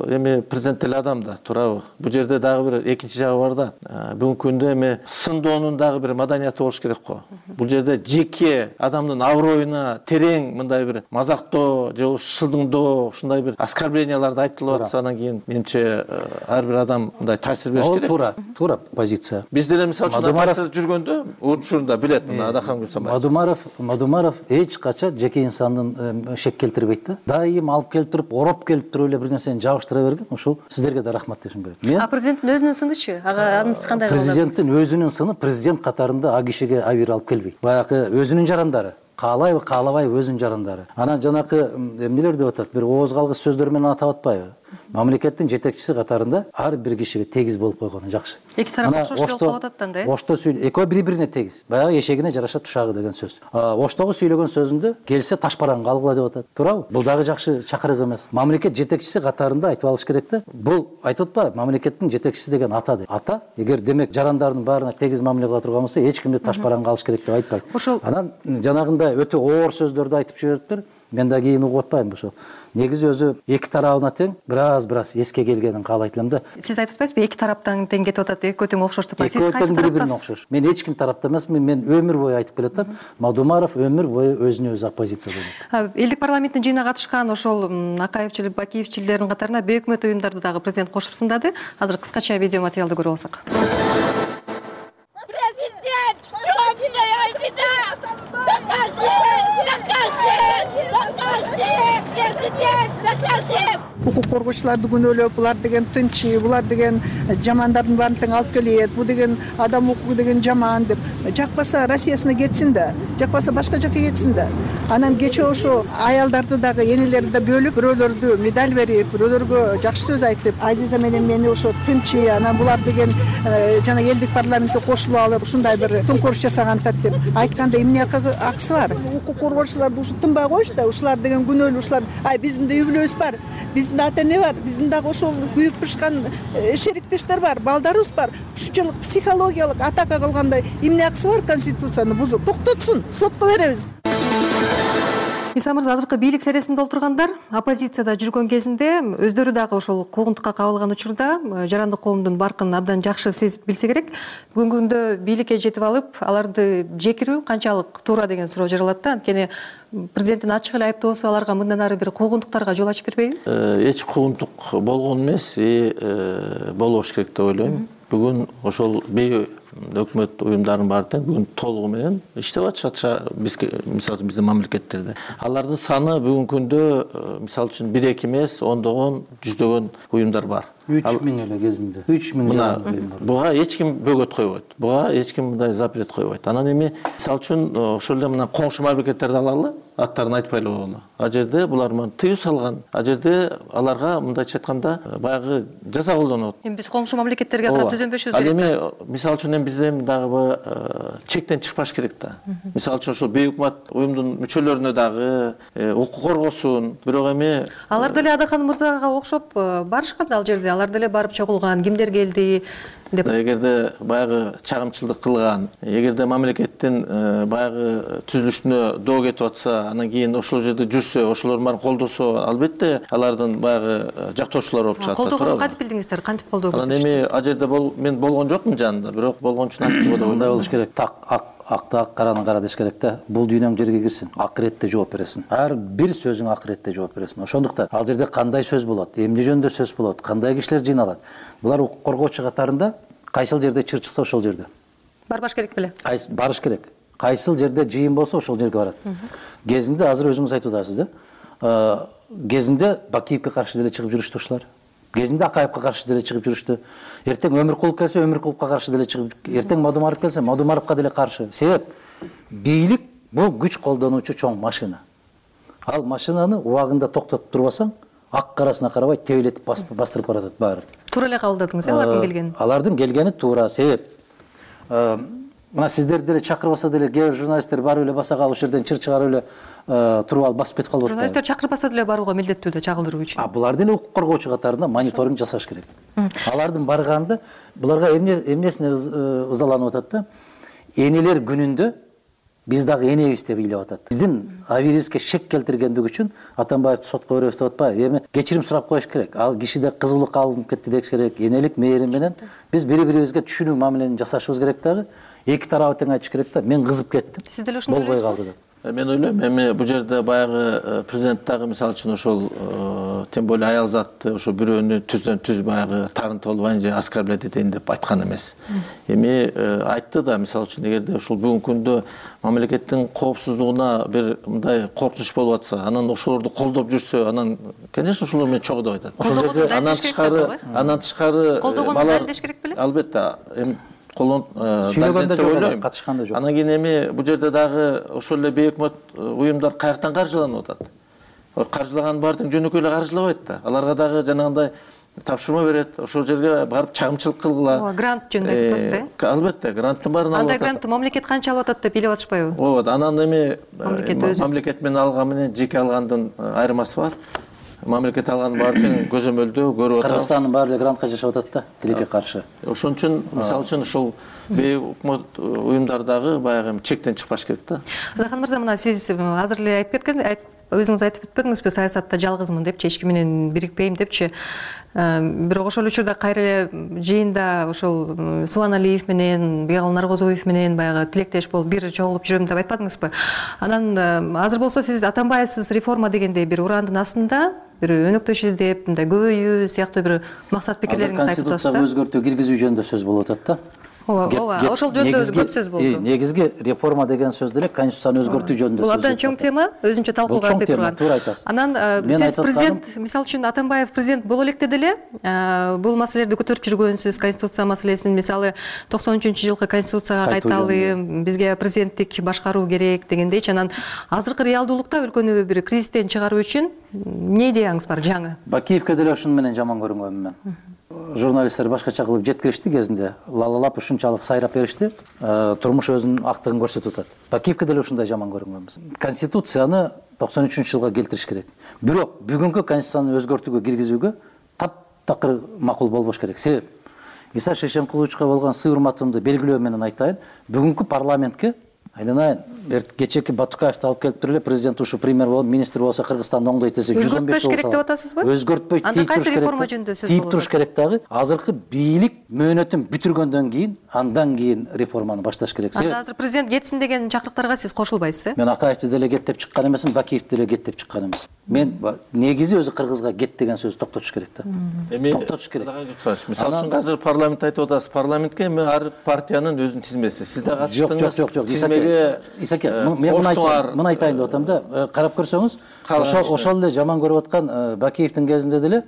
эми президент эле адам да, туурабы? Бул жерде дагы бир экинчи жагы бар да. Бүгүнкү күндө эми сындоонун дагы бир маданияты болуш керек го. Бул жерде жеке адамдын аброюна терең мындай бир мазактоо же шылдыңдоо, ушундай бир оскорбленияларды айтылып атса, анан кийин менимче ар бир адам мындай таасир бериш керек. Туура, туура позиция. Биз деле мисалы үчүн жүргөндө учурунда билет мына Адакан Гүлсамбаев. Мадумаров, Мадумаров эч качан жеке инсандын шек келтирбейт да. Дайым алып келип туруп, ороп келип туруп эле бир нерсени жабыштыра берген. Ошол сиздерге да рахмат дешим керек. Мен А президенттин өзүнүн сынычы? Ага, анысы кандай кылды? Президенттин өзүнүн сыны президент катарында а кишиге абийир алып келбейт. Баягы өзүнүн жарандары. Каалайбы, каалабайбы өзүнүн жарандары. Анан жанакы эмнелер деп атат, бир ооз калгыс сөздөр менен атап атпайбы? Мамлекеттин жетекчиси катарында ар бир кишиге тегиз болуп койгону жакшы. Эки тарап окшош болуп калып атат да, э? Ошто сүйлө, экөө бири-бирине тегиз. Баягы эшегине жараша тушагы деген сөз. Оштогу сүйлөгөн сөзүндө келсе ташбаранга алгыла деп атат. Туурабы? Бул дагы жакшы чакырык эмес. Мамлекет жетекчиси катарында айтып алыш керек да. Бул айтып атпайбы? Мамлекеттин жетекчиси деген ата деп. Ата, эгер демек жарандардын баарына тегиз мамиле кыла турган болсо, эч кимди ташбаранга алыш керек деп айтпайт. Анан жанагындай өтө оор сөздөрдү айтып жибериптир. Мен да кийин угуп атпайм ошо. Негизи өзү эки тарабына тең, бираз бираз эске келгенин каалайт элем да. Сиз айтып атпайсызбы, эки тараптан тең кетип атат, экөө тең окшош деп. Сиз кайсы тараптасыз? Мен эч ким тарапта эмесмин, мен өмүр бою айтып келатам. Мадумаров өмүр бою өзүнө өзү оппозиция болот. Элдик парламенттин жыйынына катышкан ошол Акаевчил, Бакиевчилердин катарына өкмөт уюмдарды дагы президент кошуп сындады. Азыр кыскача видео материалды көрүп алсак. Президент, что делает беда? Докажи! Докажи! Докажи! Президент, докажи! укук коргоочуларды күнөөлөп, булар деген тынчы, булар деген жамандардын баарын тең алып келет, бул деген адам укугу деген жаман деп. Жакпаса Россиясына кетсин да, жакпаса башка жака кетсин да. Анан кечээ ошо аялдарды дагы энелерди да бөлүп, бирөөлөрдү медаль берип, бирөөлөргө жакшы сөз айтып, Азиза менен мени ошо тынчы, анан булар деген жана элдик парламентке кошулуп алып, ушундай бир төңкөрүш жасагантат деп айтканда эмне акысы бар? Укук коргоочуларды ушу тынбай коюш да, ушулар деген күнөөлүү, ушулар, ай биздин да үй бүлөбүз бар, биздин да ата-эне бар, биздин дагы ошол күйүп бышкан шериктештер бар, балдарыбыз бар. Ушунчалык психологиялык атака кылгандай эмне акысы бар конституцияны бузуп? Токтотсун, сотко беребиз. Иса мырза, азыркы бийлик сересинде отургандар оппозицияда жүргөн кезинде өздөрү дагы ошол куугунтукка кабылган учурда жарандык коомдун баркын абдан жакшы сезип билсе керек. Бүгүнкү күндө бийликке жетип алып, аларды жекирүү канчалык туура деген суроо жаралат да. Анткени президенттин ачык эле айыптоосу аларга мындан ары бир куугунтуктарга жол ачып бербейби? Эч куугунтук болгон эмес, болбош керек деп ойлойм. Бүгүн ошол бей өкмөт уюмдарынын баары тең бүгүн толугу менен иштеп атышат бизге, мисалы биздин мамлекеттерде. Алардын саны бүгүнкү күндө мисалы үчүн бир эки эмес, ондогон, жүздөгөн уюмдар бар. үч миң эле кезинде. үч миң мына буга эч ким бөгөт койбойт. Буга эч ким мындай запрет койбойт. Анан эми мисалы үчүн ошол эле мына коңшу мамлекеттерди алалы, аттарын айтпай эле коелу. А жерде булар тыюу салган. А жерде аларга мындайча айтканда баягы жаза колдонот. Эми биз коңшу мамлекеттерге карап түзөнбөшүбүз керек. Ал эми мисалы үчүн бизде дагы чектен чыкпаш керек да. Мисалы үчүн ошол бейөкмөт уюмдун мүчөлөрүнө дагы укук коргосун, бирок эми алар деле Адахан мырзага окшоп барышкан ал жерде. Алар деле барып чогулган, кимдер келди деп. Эгерде баягы чагымчылдык кылган, эгерде мамлекеттин баягы түзүлүшүнө доо кетип атса, анан кийин ошол жерде жүрсө, ошолор баарын колдосо, албетте алардын баягы жактоочулары болуп чыгат. Колдогонду кантип билдиңиздер? Кантип колдоо көрсөттүңүздөр? Анан эми а жерде мен болгон жокмун жанында, бирок болгон үчүн айттым го деп ойлойм. Мындай болуш керек. Так акты ак, караны кара деш керек да. Бул дүйнөң жерге кирсин, акыретте жооп бересиң. Ар бир сөзүң акыретте жооп бересиң. Ошондуктан ал жерде кандай сөз болот, эмне жөнүндө сөз болот, кандай кишилер жыйналат. Булар укук коргоочу катарында кайсыл жерде чыр чыкса ошол жерде барбаш керек беле? Барыш керек. Кайсыл жерде жыйын болсо ошол жерге барат. Кезинде азыр өзүңүз айтып атасыз да. Кезинде Бакиевке каршы деле чыгып жүрүштү ушулар. Кезинде Акаевке каршы деле чыгып жүрүштү. Эртең Өмүркулов келсе, Өмүркуловго каршы деле чыгып, эртең Мадумаров келсе, Мадумаровго деле каршы. Себеп бийлик бул күч колдонуучу чоң машина. Ал машинаны убагында токтотуп турбасаң, ак карасына карабай тебелетип бастырып баратат баары. Туура эле кабылдадыңыз, алардын келгени. Алардын келгени туура. Себеп мына сиздерди деле чакырбаса деле кээ бир журналисттер барып эле баса калып, ошол жерден чыр чыгарып эле туруп алып басып кетип калып атпайбы? Журналисттер чакырбаса деле барууга милдеттүү да чагылдыруу үчүн. А булар деле укук коргоочу катарында мониторинг жасаш керек. Алардын барганда буларга эмне эмнесине ызаланып атат да? Энелер күнүндө биз дагы энебиз деп ыйлап атат. Биздин абийибизге шек келтиргендик үчүн Атамбаевди сотко беребиз деп атпайбы? Эми кечирим сурап коюш керек. Ал кишиде кызуулукка алынып кетти деш керек. Энелик мээрим менен биз бири-бирибизге түшүнүү мамилени жасашыбыз керек дагы. Эки тарабы тең айтыш керек да. Мен кызып кеттим. Сиз деле ошондой болбой калды деп. Мен ойлойм, эми бул жерде баягы президент дагы мисалы үчүн ошол тем более аял затты ошо бирөөнү түздөн түз баягы тарынтып албайын же оскорблять этейин деп айткан эмес. Эми айтты да, мисалы үчүн эгерде ушул бүгүнкү күндө мамлекеттин коопсуздугуна бир мындай коркунуч болуп атса, анан ошолорду колдоп жүрсө, анан конечно ошолор менен чогуу деп айтат. Ошол жерде анан тышкары, анан тышкары колдогонду далилдеш керек беле? Албетте, эми колон сүйлөгөндө жок, катышканда жок. Анан кийин эми бул жерде дагы ошол эле бейөкмөт уюмдар каяктан каржыланып атат? Каржылаган баары тең жөнөкөй эле каржылабайт да. Аларга дагы жанагындай тапшырма берет, ошол жерге барып чагымчылык кылгыла. Грант жөнүндө айтып атасыз да? Албетте, гранттын баарын алып атат. Андай грантты мамлекет канча алып атат деп билип атышпайбы? Ооба, анан эми мамлекет менен алган менен жеке алгандын айырмасы бар. Мамлекет алган баары тең көзөмөлдөө көрүп атат. Кыргызстандын баары эле грантка жашап атат да, тилекке каршы. Ошон үчүн мисалы үчүн ошол бейөкмөт уюмдар дагы баягы чектен чыкпаш керек да. Адахан мырза, мына сиз азыр эле айтып кеткен, өзүңүз айтып өтпөдүңүзбү, саясатта жалгызмын депчи, эч ким менен бирикпейм депчи. Бирок ошол учурда кайра эле жыйында ошол Субаналиев менен, Бегал Наргозоев менен баягы тилектеш болуп бир чогулуп жүрөм деп айтпадыңызбы? Анан азыр болсо сиз Атамбаевсиз реформа дегендей бир урандын астында бир өнөктөш издеп, мындай көбөйүү сыяктуу бир максат пикирлериңизди айтып атасыз да. Конституцияга өзгөртүү киргизүү жөнүндө сөз болуп атат да. ооба ооба ошол жөнүндө көп сөз болду. Негизги реформа деген сөз деле конституцияны өзгөртүү жөнүндө сөз. Бул абдан чоң тема, өзүнчө талкууга арзый турган. Туура айтасыз. Анан сиз президент, мисалы үчүн Атамбаев президент боло электе деле бул маселелерди көтөрүп жүргөнсүз, конституция маселесин, мисалы токсон үчүнчү жылкы конституцияга кайталы, бизге президенттик башкаруу керек дегендейчи. Анан азыркы реалдуулукта өлкөнү бир кризистен чыгаруу үчүн эмне идеяңыз бар жаңы? Бакиевке деле ушуну менен жаман көрүнгөнмүн мен. Журналисттер башкача кылып жеткиришти кезинде, лалалап ушунчалык сайрап беришти, турмуш өзүнүн актыгын көрсөтүп атат. Бакиевке деле ушундай жаман көрүнгөнбүз. Конституцияны токсон үчүнчү жылга келтириш керек. Бирок бүгүнкү конституцияны өзгөртүүгө киргизүүгө таптакыр макул болбош керек. Себеп Иса Шешенкуловичка болгон сый урматымды белгилөө менен айтайын, бүгүнкү парламентке айланайын, кечээки Батукаевди алып келип эле президент ушу премьер болуп, министр болсо Кыргызстанды оңдойт десе жүз он беш болсо. Өзгөртпөш керек деп атасызбы? Өзгөртпөй тийип туруш керек. Реформа жөнүндө сөз болот. Тийип туруш керек дагы. Азыркы бийлик мөөнөтүн бүтүргөндөн кийин, андан кийин реформаны башташ керек. Анда азыр президент кетсин деген чакырыктарга сиз кошулбайсыз, э? Мен Акаевди деле кет деп чыккан эмесмин, Бакиевди деле кет деп чыккан эмесмин. Мен негизи өзү Кыргызга кет деген сөздү токтотуш керек да. Эми токтотуш керек. Мисалы үчүн азыр парламент айтып атасыз, парламентке эми ар партиянын өзүнүн тизмеси. Сиз да катыштыңыз. Жок, жок, жок. Исаке, мен муну айтайын деп атам да, карап көрсөңүз, ошол эле жаман көрүп аткан Бакиевдин кезинде деле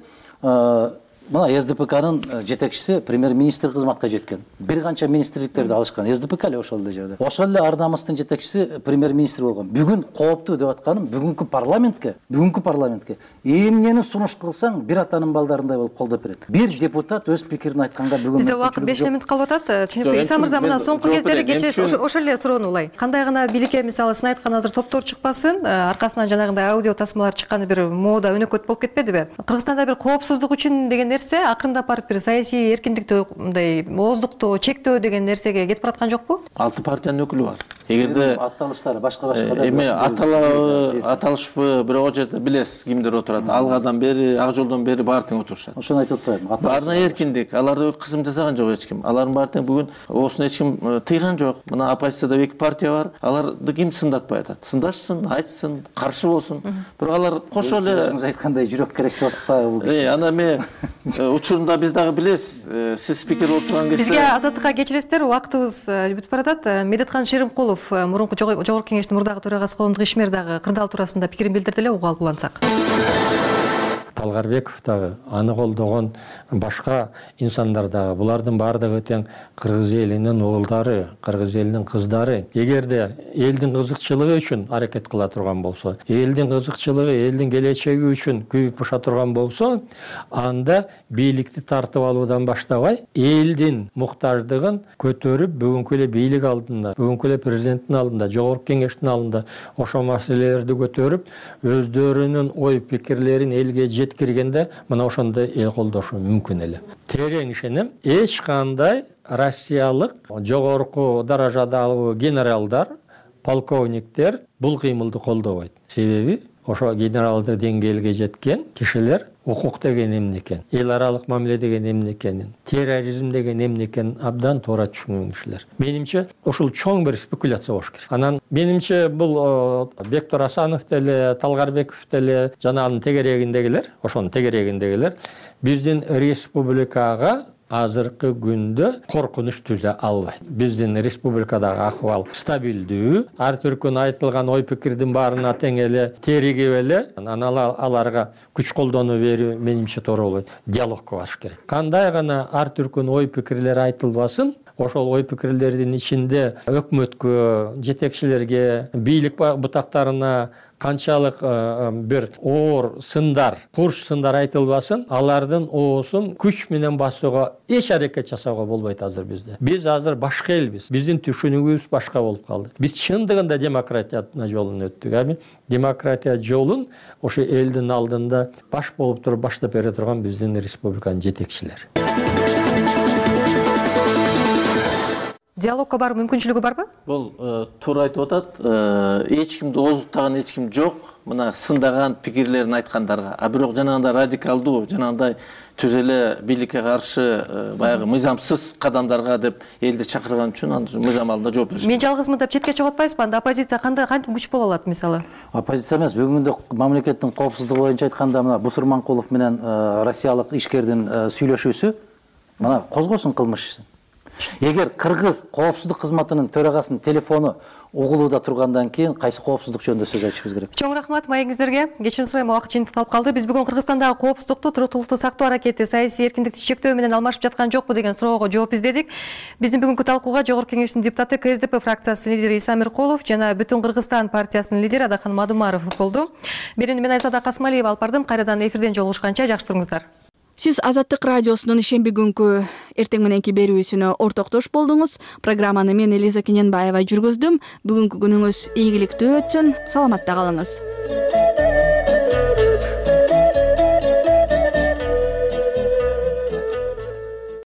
мына эс дэ пэ канын жетекчиси премьер-министр кызматка жеткен. Бир канча министрликтерди алышкан. эс дэ пэ ка эле ошол эле жерде. Ошол эле Ардамыстын жетекчиси премьер-министр болгон. Бүгүн кооптуу деп атканым, бүгүнкү парламентке, бүгүнкү парламентке эмнени сунуш кылсаң, бир атанын балдарындай болуп колдоп берет. Бир депутат өз пикирин айтканга бүгүн бизде убакыт беш мүнөт калып атат. Түшүнүктүү. Иса мырза, мына соңку кездери кечээ ошол эле суроону улай. Кандай гана бийликке мисалы сын айткан азыр топтор чыкпасын, аркасынан жанагындай аудио тасмалар чыкканы бир мода өнөкөт болуп кетпедиби? Кыргызстанда бир коопсуздук үчүн деген нерсе акырындап барып бир саясий эркиндикти, мындай ооздукту чектөө деген нерсеге кетип бараткан жокпу? Алты партиянын өкүлү бар. Эгерде атталыштары башка-башка да эми аталабы, аталышпы, бирок ал жерде билесиз кимдер отурат. Алгадан бери, ак жолдон бери баары тең отурушат. Ошону айтып атпаймынбы? Баарына эркиндик. Алар кызым жасаган жок эч ким. Алардын баары тең бүгүн оосун эч ким тыйган жок. Мына оппозицияда эки партия бар. Аларды ким сындатпай атат? Сындашсын, айтсын, каршы болсун. Бирок алар кошо эле өзүңүз айткандай жүрөк керек деп атпайбы бул киши? Э, ана мен учурунда биз дагы билесиз, сиз спикер болуп турган кезде бизге азаттыкка кечиресиздер, убактыбыз бүтүп баратат. Медеткан Шеримкулов, мурунку Жогорку Кеңештин мурдагы төрагасы, коомдук ишмер дагы кырдаал туурасында пикирин билдирди эле, угуп алып улантсак. Талгарбеков дагы, аны колдогон башка инсандар дагы, булардын баардыгы тең кыргыз элинин уулдары, кыргыз элинин кыздары. Эгерде элдин кызыкчылыгы үчүн аракет кыла турган болсо, элдин кызыкчылыгы, элдин келечеги үчүн күйүп баша турган болсо, анда бийликти тартып алуудан баштабай, элдин муктаждыгын көтөрүп, бүгүнкү эле бийлик алдында, бүгүнкү эле президенттин алдында, Жогорку Кеңештин алдында ошол маселелерди көтөрүп, өздөрүнүн ой пикирлерин элге жеткиргенде, мына ошондой эл колдошу мүмкүн эле. Терең ишенем, эч кандай Россиялык жогорку даражадагы генералдар, полковниктер бул кыймылды колдобойт. Себеби ошо генералдык деңгээлге жеткен кишилер укук деген эмне экен, эл аралык мамиле деген эмне экенин, терроризм деген эмне экенин абдан туура түшүнгөн кишилер. Менимче, ушул чоң бир спекуляция болуш керек. Анан менимче бул Бектур Асанов деле, Талгарбеков деле, жана анын тегерегиндегилер, ошонун тегерегиндегилер биздин республикага азыркы күндө коркунуч түзө албайт. Биздин республикадагы ахвал стабилдүү, ар түркүн айтылган ой пикирдин баарына тең эле теригип эле, анан аларга күч колдонуу берүү менимче туура болбойт. Диалогко барыш керек. Кандай гана ар түркүн ой пикирлер айтылбасын, ошол ой пикирлердин ичинде өкмөткө, жетекчилерге, бийлик бутактарына канчалык бир оор сындар, курч сындар айтылбасын, алардын оосун күч менен басууга эч аракет жасауга болбойт азыр бизде. Биз азыр башка элбиз. Биздин түшүнүгүбүз башка болуп калды. Биз чындыгында демократия жолун өттүк. Эми демократия жолун ошо элдин алдында баш болуп туруп баштап бере турган биздин республиканын жетекчилери. Диалогко баруу мүмкүнчүлүгү барбы? Бул туура айтып атат. Эч кимди ооздуктаган эч ким жок. Мына сындаган пикирлерин айткандарга. А бирок жанагындай радикалдуу, жанагындай түз эле бийликке каршы баягы мыйзамсыз кадамдарга деп элди чакырган үчүн аны мыйзам алдында жооп бериш. Мен жалгызмын деп четке чыгып атпайсызбы? Анда оппозиция кандай кантип күч боло алат мисалы? Оппозиция эмес, бүгүн күндө мамлекеттин коопсуздугу боюнча айтканда мына Бусурманкулов менен россиялык ишкердин сүйлөшүүсү мына козгосун кылмыш ишин. Эгер кыргыз коопсуздук кызматынын төрагасынын телефону угулууда тургандан кийин кайсы коопсуздук жөнүндө сөз айтышыбыз керек? Чоң рахмат маегиңиздерге. Кечирим сурайм, убакыт жыйынтыкталып калды. Биз бүгүн Кыргызстандагы коопсуздукту, туруктуулукту сактоо аракети саясий эркиндикти чектөө менен алмашып жаткан жокпу деген суроого жооп издедик. Биздин бүгүнкү талкууга Жогорку Кеңештин депутаты, К С Д П фракциясынын лидери Иса Миркулов жана Бүтүн Кыргызстан партиясынын лидери Адахан Мадумаров болду. Берүүнү мен Айзада Касмалиева алып бардым. Кайрадан эфирден жолугушканча жакшы туруңуздар. Сиз Азаттык радиосунун ишемби күнкү эртең мененки берүүсүнө ортоктош болдуңуз. Программаны мен Элиза Кененбаева жүргүздүм. Бүгүнкү күнүңүз ийгиликтүү өтсүн. Саламатта калыңыз.